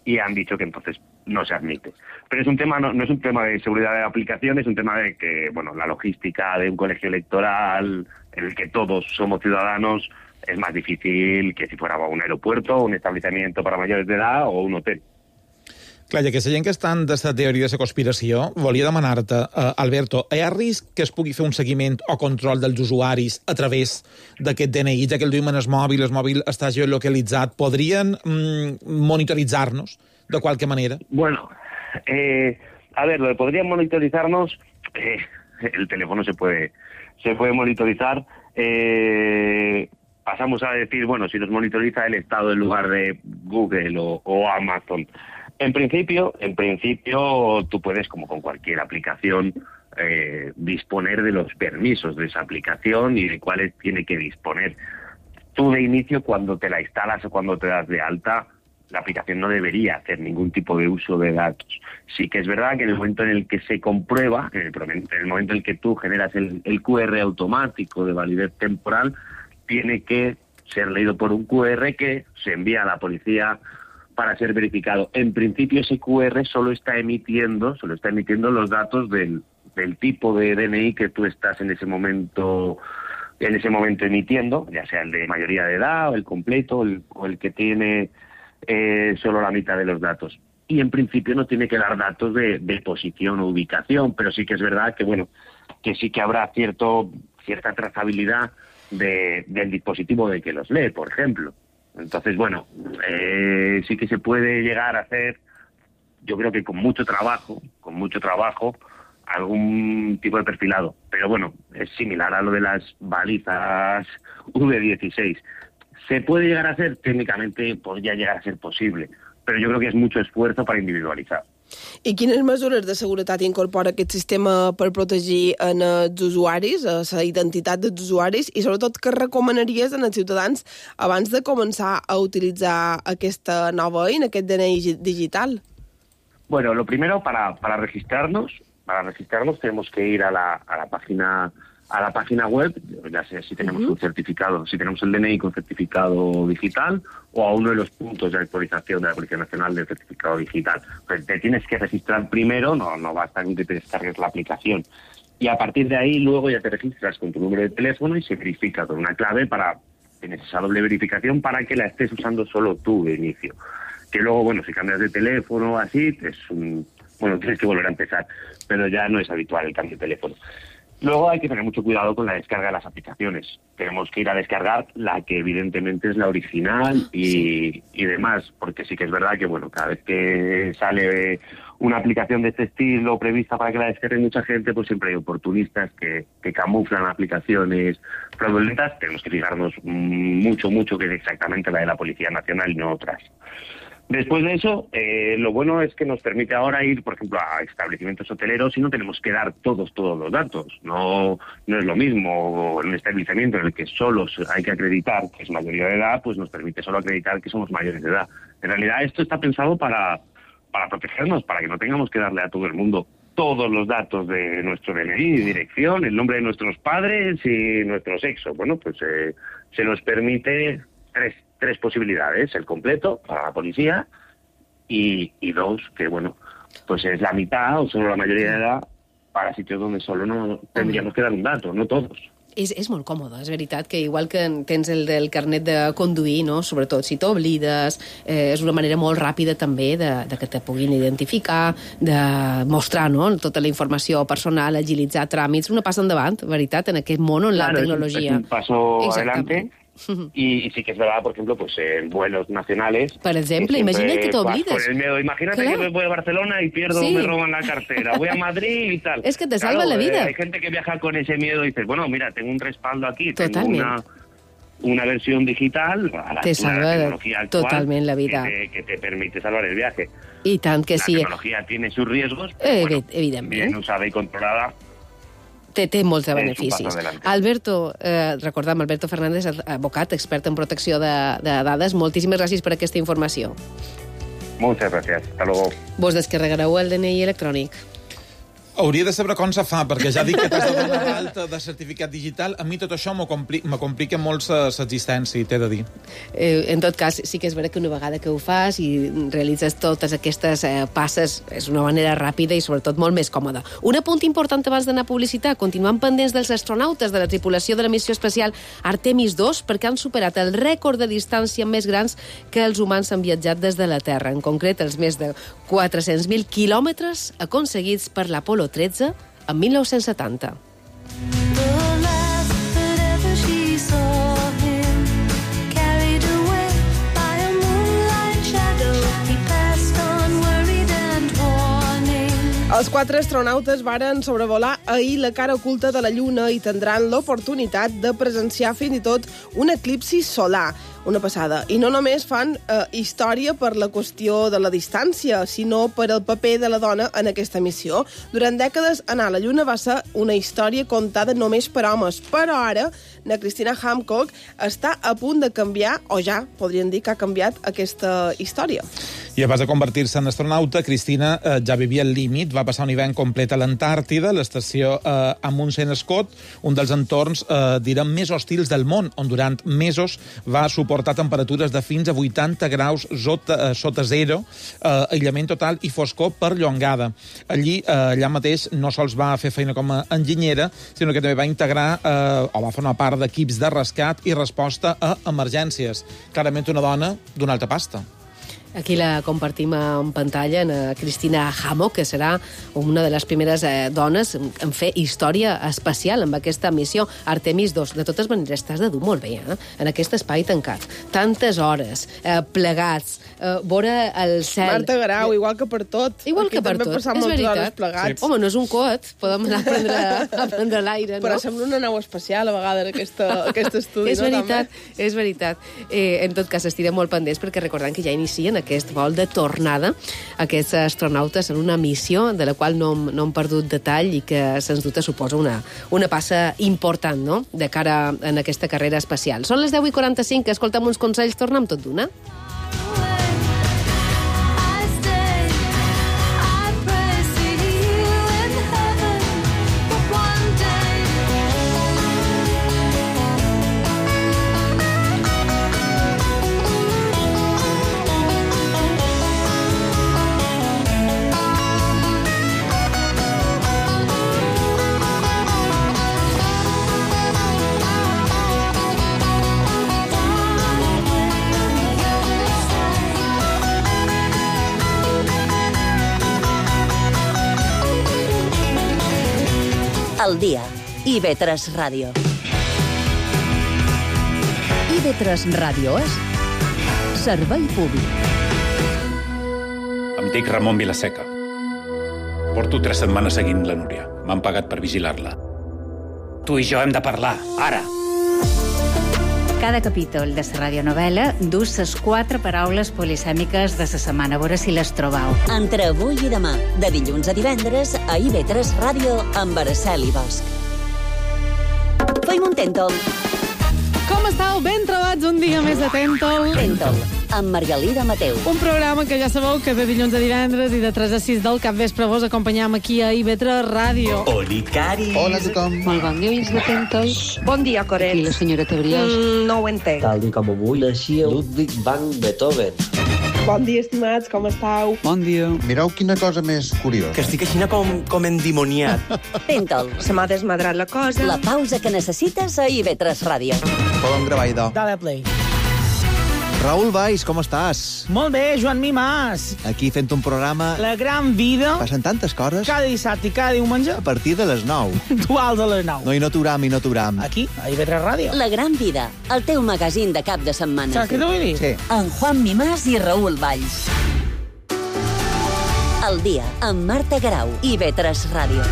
y han dicho que entonces no se admite. Pero es un tema, no es un tema de seguridad de la aplicación, es un tema de que, bueno, la logística de un colegio electoral en el que todos somos ciudadanos es más difícil que si fuera un aeropuerto, un establecimiento para mayores de edad o un hotel. Clar, i aquesta gent que estan d'aquesta teoria de la conspiració, volia demanar-te, Alberto, hi ha risc que es pugui fer un seguiment o control dels usuaris a través d'aquest DNI, ja que el duim en el mòbil està geolocalitzat, podrien monitoritzar-nos de qualque manera? Bueno, a ver, lo de podrían monitorizarnos, el teléfono se puede monitorizar, pasamos a decir, bueno, si nos monitoriza el Estado en lugar de Google o Amazon. En principio, tú puedes, como con cualquier aplicación, disponer de los permisos de esa aplicación y de cuáles tiene que disponer. Tú de inicio, cuando te la instalas o cuando te das de alta, la aplicación no debería hacer ningún tipo de uso de datos. Sí que es verdad que en el momento en el que se comprueba, en el momento en el que tú generas el QR automático de validez temporal, tiene que ser leído por un QR que se envía a la policía para ser verificado. En principio ese QR solo está emitiendo los datos del tipo de DNI que tú estás en ese momento emitiendo, ya sea el de mayoría de edad o el completo o el que tiene solo la mitad de los datos. Y en principio no tiene que dar datos de posición o ubicación, pero sí que es verdad que, bueno, que sí que habrá cierta trazabilidad del dispositivo de que los lee, por ejemplo. Entonces, bueno, sí que se puede llegar a hacer, yo creo que con mucho trabajo, algún tipo de perfilado. Pero bueno, es similar a lo de las balizas V16. ¿Se puede llegar a hacer? Técnicamente podría llegar a ser posible, pero yo creo que es mucho esfuerzo para individualizar. I quines mesures de seguretat incorpora aquest sistema per protegir els usuaris, la identitat dels usuaris, i sobretot què recomanaries als ciutadans abans de començar a utilitzar aquesta nova eina, aquest DNI digital? Bueno, lo primero, para registrarnos tenemos que ir a la página web, ya sea si tenemos un certificado, si tenemos el DNI con certificado digital o a uno de los puntos de actualización de la Policía Nacional del certificado digital. Pues te tienes que registrar primero, no basta con que te descargues la aplicación. Y a partir de ahí luego ya te registras con tu número de teléfono y se verifica con una clave tienes esa doble verificación para que la estés usando solo tú de inicio. Que luego, bueno, si cambias de teléfono o así, tienes que volver a empezar, pero ya no es habitual el cambio de teléfono. Luego hay que tener mucho cuidado con la descarga de las aplicaciones. Tenemos que ir a descargar la que evidentemente es la original y demás, porque sí que es verdad que, bueno, cada vez que sale una aplicación de este estilo prevista para que la descargue mucha gente, pues siempre hay oportunistas que camuflan aplicaciones fraudulentas. Tenemos que fijarnos mucho que es exactamente la de la Policía Nacional y no otras. Después de eso, lo bueno es que nos permite ahora ir, por ejemplo, a establecimientos hoteleros y no tenemos que dar todos los datos. No es lo mismo en un establecimiento en el que solo hay que acreditar que es mayoría de edad, pues nos permite solo acreditar que somos mayores de edad. En realidad esto está pensado para protegernos, para que no tengamos que darle a todo el mundo todos los datos de nuestro DNI, dirección, el nombre de nuestros padres y nuestro sexo. Bueno, pues se nos permite tres posibilidades: el completo para la policía y dos, que bueno, pues es la mitad o solo la mayoría de edad para sitios donde solo no tendríamos que dar un dato, no todos. És molt còmode, és veritat, que igual que tens el del carnet de conduir, no? Sobretot si t'oblides, és una manera molt ràpida també de que te puguin identificar, de mostrar, no?, tota la informació personal, agilitzar tràmits, una passa endavant, veritat, en aquest món on la tecnologia... Es un paso adelante. Y sí que es verdad, por ejemplo, pues en vuelos nacionales... Per exemple, imagina't que t'oblides. Con el miedo. Imagínate que me voy a Barcelona y pierdo, me roban la cartera. Voy a Madrid y tal. Es que te salva la vida. Hay gente que viaja con ese miedo y dices, bueno, mira, tengo un respaldo aquí. Totalment. una versión digital a la te salva tecnología actual totalment la vida. que te permite salvar el viaje. I tant que sí. La tecnología tiene sus riesgos, pero evidentment. bien usada y controlada. Té molts de beneficis. un paso adelante. Alberto, recordem, Alberto Fernández, advocat, expert en protecció de dades. Moltíssimes gràcies per aquesta informació. Muchas gracias. Hasta luego. Vos descarregareu el DNI electrònic. Hauria de saber com se fa, perquè ja dic que t'has de donar l'alta de certificat digital. A mi tot això me complica molt l'existència, t'he de dir. En tot cas, sí que és vera que una vegada que ho fas i realitzes totes aquestes passes, és una manera ràpida i sobretot molt més còmoda. Un apunt important abans d'anar a publicitat. Continuem pendents dels astronautes de la tripulació de la missió espacial Artemis 2 perquè han superat el rècord de distància més grans que els humans han viatjat des de la Terra. En concret, els més de 400.000 quilòmetres aconseguits per l'Apolo 13 en 1970. Els 4 astronautes varen sobrevolar ahir la cara oculta de la Lluna i tindran l'oportunitat de presenciar fins i tot un eclipsi solar. Una passada. I no només fan història per la qüestió de la distància, sinó per el paper de la dona en aquesta missió. Durant dècades, anar a la Lluna va ser una història contada només per homes, però ara la Christina Hancock està a punt de canviar, o ja podríem dir que ha canviat aquesta història. I abans de convertir-se en astronauta, Cristina ja vivia el límit, va passar un hivern complet a l'Antàrtida, l'estació Amundsen-Scott, un dels entorns, direm, més hostils del món, on durant mesos va suportar temperatures de fins a 80 graus sota zero, aïllament total i foscor perllongada. Allà mateix no sols va fer feina com a enginyera, sinó que també va integrar o va formar part d'equips de rescat i resposta a emergències. Clarament una dona d'una alta pasta. Aquí la compartim en pantalla, en Christina Hammock, que serà una de les primeres dones en fer història espacial amb aquesta missió Artemis 2. De totes maneres, t'has de dur molt bé, en aquest espai tancat. Tantes hores, plegats, veure el cel... Marta Grau, igual que per tot. Igual que per tot, és veritat. Plegats. Sí. Home, no és un coet, podem anar a prendre l'aire, no? Però sembla una nau espacial, a vegades, aquest estudi. És veritat, és veritat. En tot cas, estirem molt pendents, perquè recordem que ja inicien aquest vol de tornada. Aquests astronautes en una missió de la qual no hem perdut detall i que, sens dubte, suposa una passa important, no?, de cara en aquesta carrera espacial. Són les 10:45, escolta'm uns consells, tornem tot d'una. Al dia. IB3 Ràdio. IB3 Ràdio és servei públic. Em dic Ramon Vilaseca. Porto 3 setmanes seguint la Núria. M'han pagat per vigilar-la. Tu i jo hem de parlar, ara. Cada capítol de la radionovel·la dus les 4 paraules polisèmiques de la setmana. A veure si les trobau. Entre avui i demà, de dilluns a divendres, a IB3 Ràdio, amb Araceli Bosch. Feim un tèntol. Com estàu? Ben trobats un dia més de Tèntol. Tèntol, amb Margalida Mateu. Un programa que ja sabeu que de dilluns a divendres i de 3 a 6 del capvespre vos acompanyam aquí a IB3 Ràdio. Oli, Cari. Hola a tothom. Molt bon dia, de Tèntol. Bon dia, Coret. Aquí la senyora Tebriós. No ho entenc. Tal dia com avui naixia Ludwig van Beethoven. Bon dia, estimats, com estàu? Bon dia. Mireu quina cosa més curiosa. Que estic així com endimoniat. Tèntol. Se m'ha desmadrat la cosa. La pausa que necessites a IB3 Ràdio. Podem gravar, idò. Dale play. Raül Valls, com estàs? Molt bé, Joan Mimàs. Aquí fent un programa... La gran vida. Passen tantes coses. Cada dissabte i cada diumenge. A partir de les 9. Duals a les 9. No, i no t'uram. Aquí, a IB3 Ràdio. La gran vida, el teu magazín de cap de setmana. Saps què t'ho vull dir? Sí. En Juan Mimàs i Raül Valls. El dia, amb Marta Grau, IB3 Ràdio.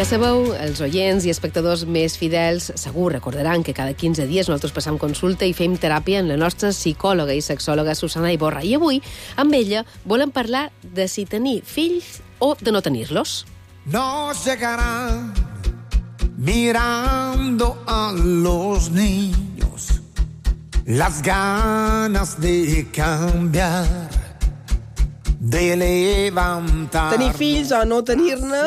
Ja sabeu, els oients i espectadors més fidels segur recordaran que cada 15 dies nosaltres passam consulta i fem teràpia amb la nostra psicòloga i sexòloga Susana Iborra. I avui, amb ella, volem parlar de si tenir fills o de no tenir-los. Nos llegarán mirando a los niños las ganas de cambiar, de levantar... Tenir fills o no tenir-ne...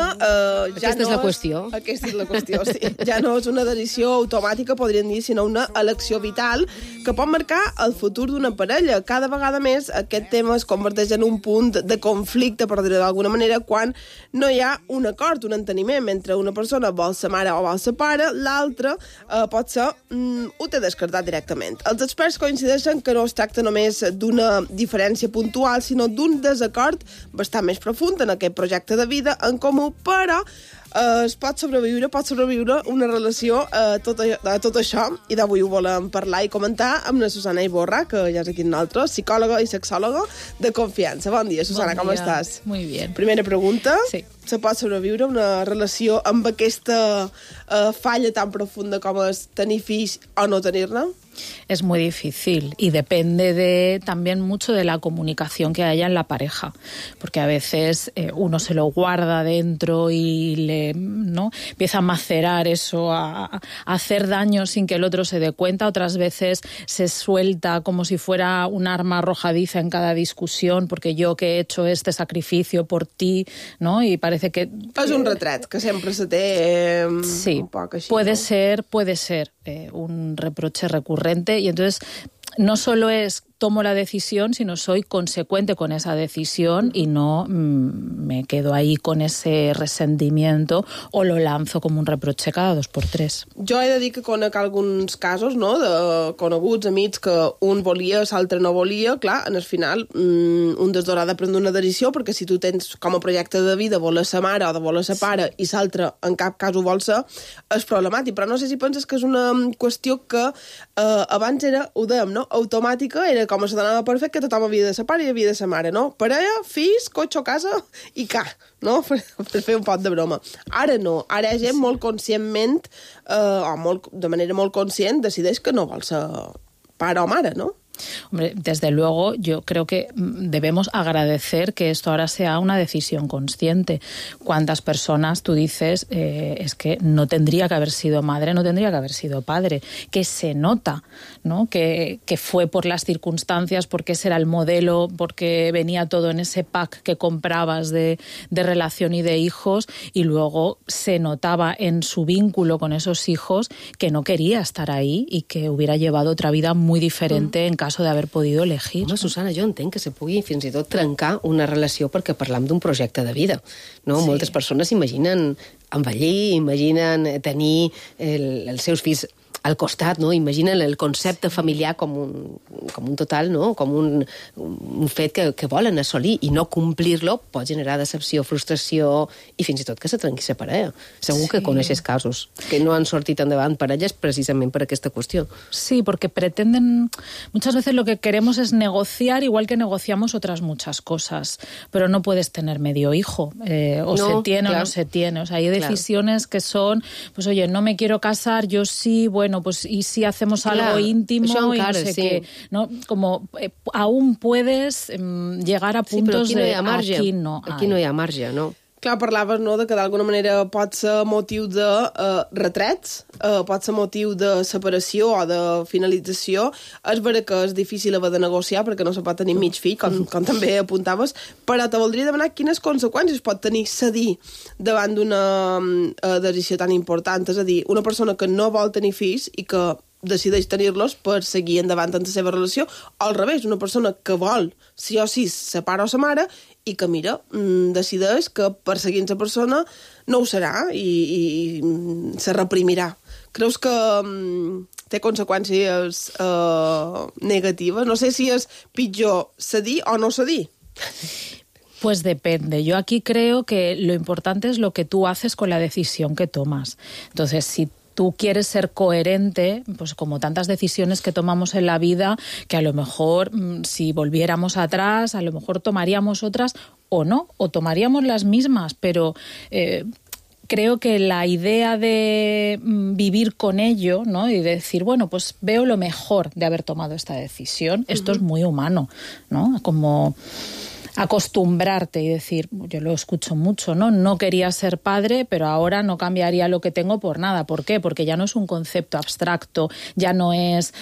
Aquesta és la qüestió. Aquesta és la qüestió, sí. Ja no és una decisió automàtica, podríem dir, sinó una elecció vital que pot marcar el futur d'una parella. Cada vegada més aquest tema es converteix en un punt de conflicte, per dir-ho d'alguna manera, quan no hi ha un acord, un enteniment entre una persona vol ser mare o vol ser pare, l'altra pot ser ho té descartat directament. Els experts coincideixen que no es tracta només d'una diferència puntual, sinó d'un desacord bastant més profund en aquest projecte de vida en comú, però pot sobreviure una relació a tot això, i d'avui ho volem parlar i comentar amb la Susana Iborra, que ja és aquí amb nosaltres, psicòloga i sexòloga de confiança. Bon dia, Susana, com estàs? Muy bien. Primera pregunta. Sí. Se pot sobreviure una relació amb aquesta falla tan profunda com és tenir fills o no tenir-ne? Es muy difícil y depende también mucho de la comunicación que haya en la pareja, porque a veces uno se lo guarda dentro y ¿no? empieza a macerar eso, a hacer daño sin que el otro se dé cuenta. Otras veces se suelta como si fuera un arma arrojadiza en cada discusión, porque yo que he hecho este sacrificio por ti, ¿no? Y parece que... És un retret que sempre se té sí, un poc així. Puede ser un reproche recurrente, y entonces no solo es tomo la decisión, sino soy consecuente con esa decisión y no me quedo ahí con ese resentimiento o lo lanzo como un reproche cada 2x3. Jo he de dir que conec alguns casos, no?, de coneguts, amics, que un volia, l'altre no volia. Clar, en el final, un dels dos ha de prendre una decisió, perquè si tu tens com a projecte de vida voler ser mare o de voler ser pare i l'altre en cap cas ho vol ser, és problemàtic. Però no sé si penses que és una qüestió que abans era, ho dèiem, no?, automàtica, era com se donava per fet que tothom havia de ser pare i havia de ser mare, no? Parella, fills, cotxe, casa i ca, no? Per fer un pot de broma. Ara no. Ara hi ha gent molt conscientment, de manera molt conscient, decideix que no vol ser pare o mare, no? Hombre, desde luego yo creo que debemos agradecer que esto ahora sea una decisión consciente. ¿Cuántas personas tú dices es que no tendría que haber sido madre, no tendría que haber sido padre? Que se nota, ¿no? Que fue por las circunstancias, porque ese era el modelo, porque venía todo en ese pack que comprabas de relación y de hijos, y luego se notaba en su vínculo con esos hijos que no quería estar ahí y que hubiera llevado otra vida muy diferente en caso de haver podido elegir. Home, Susana, jo entenc que se pugui fins i tot trencar una relació perquè parlam d'un projecte de vida, no? Sí. Moltes persones imaginen envellir, imaginen tenir els seus fills al costat, no? Imaginen el concepte familiar com un total, no? Com un fet que volen assolir, i no complir-lo pot generar decepció, frustració i fins i tot que se trenqui la parella. Segur que coneixes casos que no han sortit endavant parelles precisament per aquesta qüestió. Sí, porque pretenden... Muchas veces lo que queremos es negociar, igual que negociamos otras muchas cosas, pero no puedes tener medio hijo. O no, se tiene, claro, o no se tiene. O sea, hay decisiones que son, pues oye, no me quiero casar, yo sí, bueno, pues y si hacemos algo íntimo y no sé qué, ¿no? Como aún puedes llegar a puntos de aquí no hi ha marge, no? Clar, parlaves, no?, de que d'alguna manera pot ser motiu de retrets, pot ser motiu de separació o de finalització. És vera que és difícil haver de negociar perquè no se pot tenir mig fill, com també apuntaves, però te voldria demanar quines conseqüències pot tenir cedir davant d'una decisió tan important. És a dir, una persona que no vol tenir fills i que decideix tenir-los per seguir endavant en la seva relació, o al revés, una persona que vol sí o sí ser pare o ser mare i que, mira, decideix que perseguint la persona no ho serà i se reprimirà. Creus que té conseqüències negatives? No sé si és pitjor cedir o no cedir. Pues depende. Yo aquí creo que lo importante es lo que tú haces con la decisión que tomas. Entonces, si tú quieres ser coherente, pues como tantas decisiones que tomamos en la vida, que a lo mejor si volviéramos atrás, a lo mejor tomaríamos otras o no, o tomaríamos las mismas, pero creo que la idea de vivir con ello, ¿no? Y decir, bueno, pues veo lo mejor de haber tomado esta decisión, esto es muy humano, ¿no? Como acostumbrarte y decir, yo lo escucho mucho, ¿no? No quería ser padre, pero ahora no cambiaría lo que tengo por nada. ¿Por qué? Porque ya no es un concepto abstracto, ya no es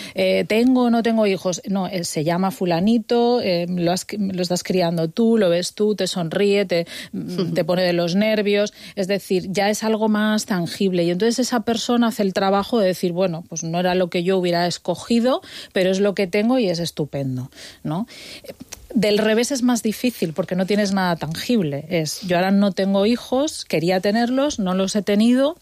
tengo o no tengo hijos. No, se llama fulanito, lo estás criando tú, lo ves tú, te sonríe, te pone de los nervios. Es decir, ya es algo más tangible. Y entonces esa persona hace el trabajo de decir, bueno, pues no era lo que yo hubiera escogido, pero es lo que tengo y es estupendo, ¿no? Del revés es más difícil porque no tienes nada tangible. Yo ahora no tengo hijos, quería tenerlos, no los he tenido,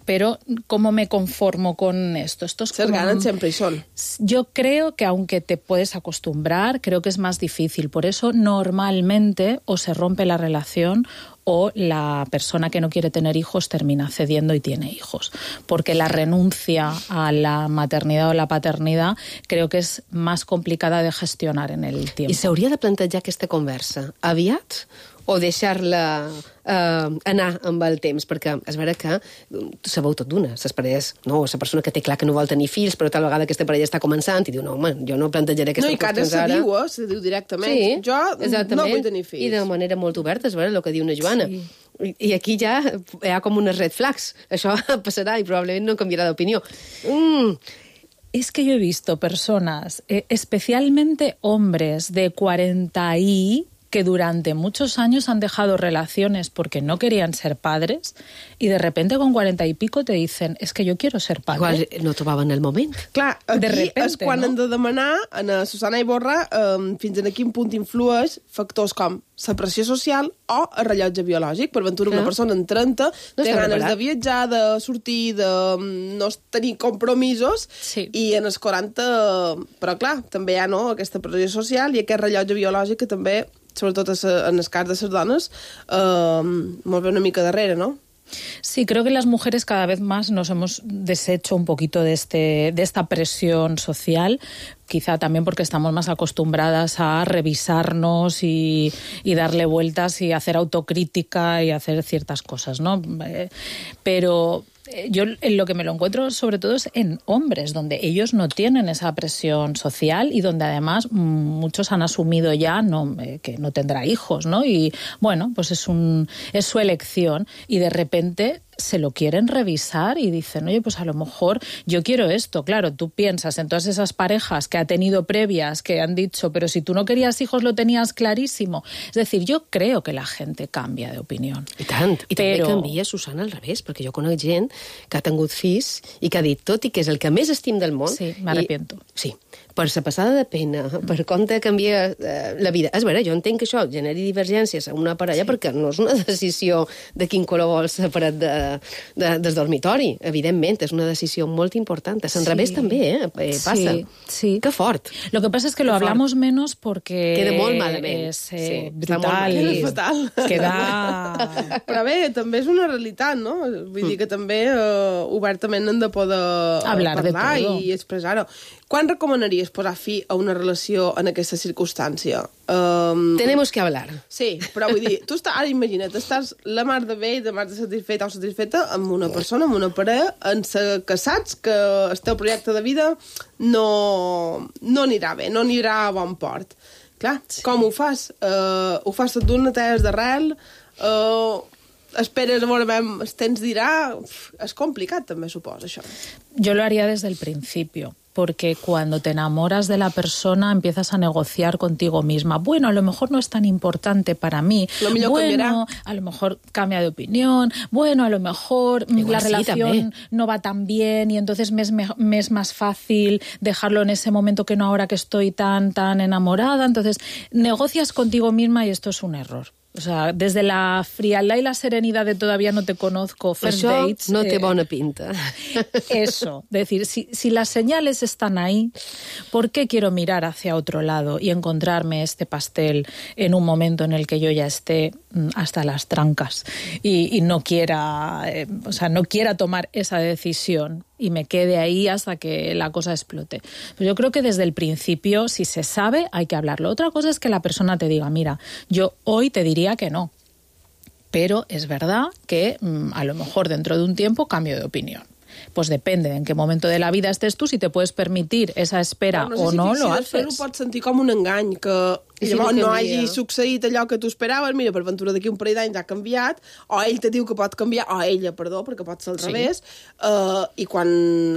pero ¿cómo me conformo con esto? Esto es Ser ganan siempre y son. Yo creo que aunque te puedes acostumbrar, creo que es más difícil. Por eso normalmente o se rompe la relación o la persona que no quiere tener hijos termina cediendo y tiene hijos. Porque la renuncia a la maternidad o la paternidad creo que és més complicada de gestionar en el tiempo. I s'hauria de plantejar aquesta conversa aviat o deixar-la anar amb el temps? Perquè és vera que sabeu tot d'una. Les parelles, no, la persona que té clar que no vol tenir fills, però tal vegada aquesta parella està començant i diu, no, home, jo no plantejaré aquestes qüestions ara. No, i cada se diu directament. Sí, jo no vull tenir fills. I de manera molt oberta, és vera el que diu una Joana. Sí. I aquí ja hi ha com unes red flags. Això passarà i probablement no canviarà d'opinió. Es que yo he visto personas, especialmente hombres de 40 y que durante muchos años han dejado relaciones porque no querían ser padres y de repente con 40 y pico te dicen, es que yo quiero ser padre. Igual no trobaven el moment. Clar, aquí de repente, és quan hem de demanar a Susana Iborra fins a quin punt influeix factors com la pressió social o el rellotge biològic. Per ventura una persona en 30 té ganes de viatjar, de sortir, de no tenir compromisos i en els 40... Però clar, també hi ha aquesta pressió social i aquest rellotge biològic que també, sobretot en el cas de les dones, molt bé una mica darrere, no? Sí, creo que las mujeres cada vez más nos hemos deshecho un poquito de esta presión social, quizá también porque estamos más acostumbradas a revisarnos y darle vueltas y hacer autocrítica y hacer ciertas cosas, ¿no? Pero yo en lo que me lo encuentro sobre todo es en hombres, donde ellos no tienen esa presión social y donde además muchos han asumido ya que no tendrá hijos, ¿no? Y bueno, pues es su elección y de repente se lo quieren revisar y dicen, oye, pues a lo mejor yo quiero esto. Claro, tú piensas en todas esas parejas que ha tenido previas que han dicho, pero si tú no querías hijos lo tenías clarísimo. Es decir, yo creo que la gente cambia de opinión. I tant. I també canvia, Susana, al revés, perquè jo conec gent que ha tingut fills i que ha dit, tot i que és el que més estim del món... Sí, m'arrepiento. Sí, per la passada de pena, per compte canvia la vida. És vera, jo entenc que això generi divergències a una parella perquè no és una decisió de quin color vols separat del dormitori, evidentment, és una decisió molt important. A l'enrevés també, passa. Sí. Que fort. Lo que pasa es que lo hablamos menos porque... Queda molt malament. És brutal. Queda fatal. Queda... Però bé, també és una realitat, no? Vull dir que també obertament hem de poder parlar i expressar-ho. Quan recomanaries posar fi a una relació en aquesta circumstància? Tenemos que hablar. Sí, però vull dir, tu ara imagina't, estàs la mar de bé i de mar de satisfeta o satisfeta amb una persona, amb una parella, que saps que el teu projecte de vida no anirà bé, no anirà a bon port. Clar, com ho fas? Ho fas tot d'una, tens d'arrel, esperes a veure el temps dirà... És complicat també, suposo, això. Yo lo haría desde el principio. Porque cuando te enamoras de la persona empiezas a negociar contigo misma. Bueno, a lo mejor no es tan importante para mí. Bueno, a lo mejor cambia de opinión. Bueno, a lo mejor la relación no va tan bien y entonces me es más fácil dejarlo en ese momento que no ahora que estoy tan enamorada. Entonces, negocias contigo misma y esto es un error. O sea, desde la frialdad y la serenidad de todavía no te conozco, first dates... no té bona pinta. Eso, es decir, si las señales están ahí, ¿por qué quiero mirar hacia otro lado y encontrarme este pastel en un momento en el que yo ya esté hasta las trancas y no quiera, no quiera tomar esa decisión y me quede ahí hasta que la cosa explote? Pues yo creo que desde el principio, si se sabe, hay que hablarlo. Otra cosa es que la persona te diga, mira, yo hoy te diría que no, Pero es verdad que a lo mejor dentro de un tiempo cambio de opinión. Pues depende de en qué momento de la vida estés tú, si te puedes permitir esa espera o no, lo haces. Fer-ho pot sentir com un engany, que llavors no hagi succeït allò que tu esperaves, mira, per ventura d'aquí un parell d'anys ha canviat, o ell te diu que pot canviar, o ella, perdó, perquè pot ser al revés, i quan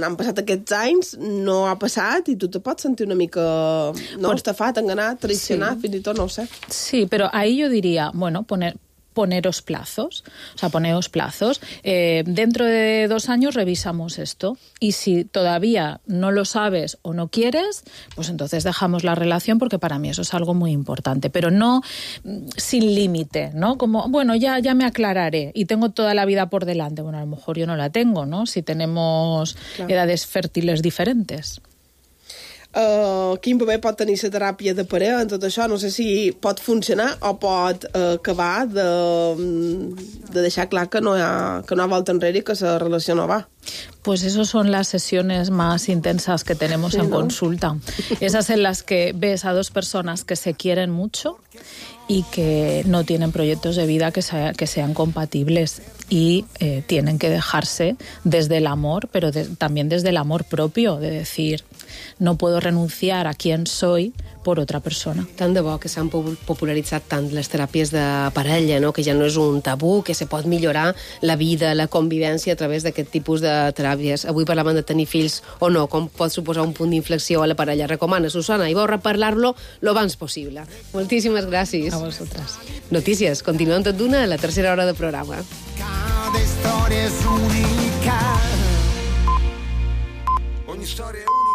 han passat aquests anys no ha passat i tu te pots sentir una mica estafat, enganat, traicionat, fins i tot, no ho sé. Sí, pero ahí yo diría, bueno, poneros plazos, o sea, poneos plazos. Dentro de 2 años revisamos esto y si todavía no lo sabes o no quieres, pues entonces dejamos la relación porque para mí eso es algo muy importante, pero no sin límite, ¿no? Como, bueno, ya me aclararé y tengo toda la vida por delante. Bueno, a lo mejor yo no la tengo, ¿no? Si tenemos edades fértiles diferentes. Quin paper pot tenir la teràpia de parella en tot això? No sé si pot funcionar o pot acabar de deixar clar que no hi ha volta enrere i que la relació no va. Pues esas son las sesiones más intensas que tenemos en consulta. Esas en las que ves a 2 personas que se quieren mucho y que no tienen proyectos de vida que sean compatibles y tienen que dejarse desde el amor, pero también desde el amor propio, de decir, no puedo renunciar a quién soy por otra persona. Tant de bo que s'han popularitzat tant les teràpies de parella, no? Que ja no és un tabú, que se pot millorar la vida, la convivència a través d'aquest tipus de teràpies. Avui parlàvem de tenir fills o no, com pot suposar un punt d'inflexió a la parella. Recomana, Susana, i vau reparlar-lo lo abans possible. Moltíssimes gràcies. A vosaltres. Notícies, continuem tot d'una a la tercera hora de programa. Cada història és única. Ogni storia è unica.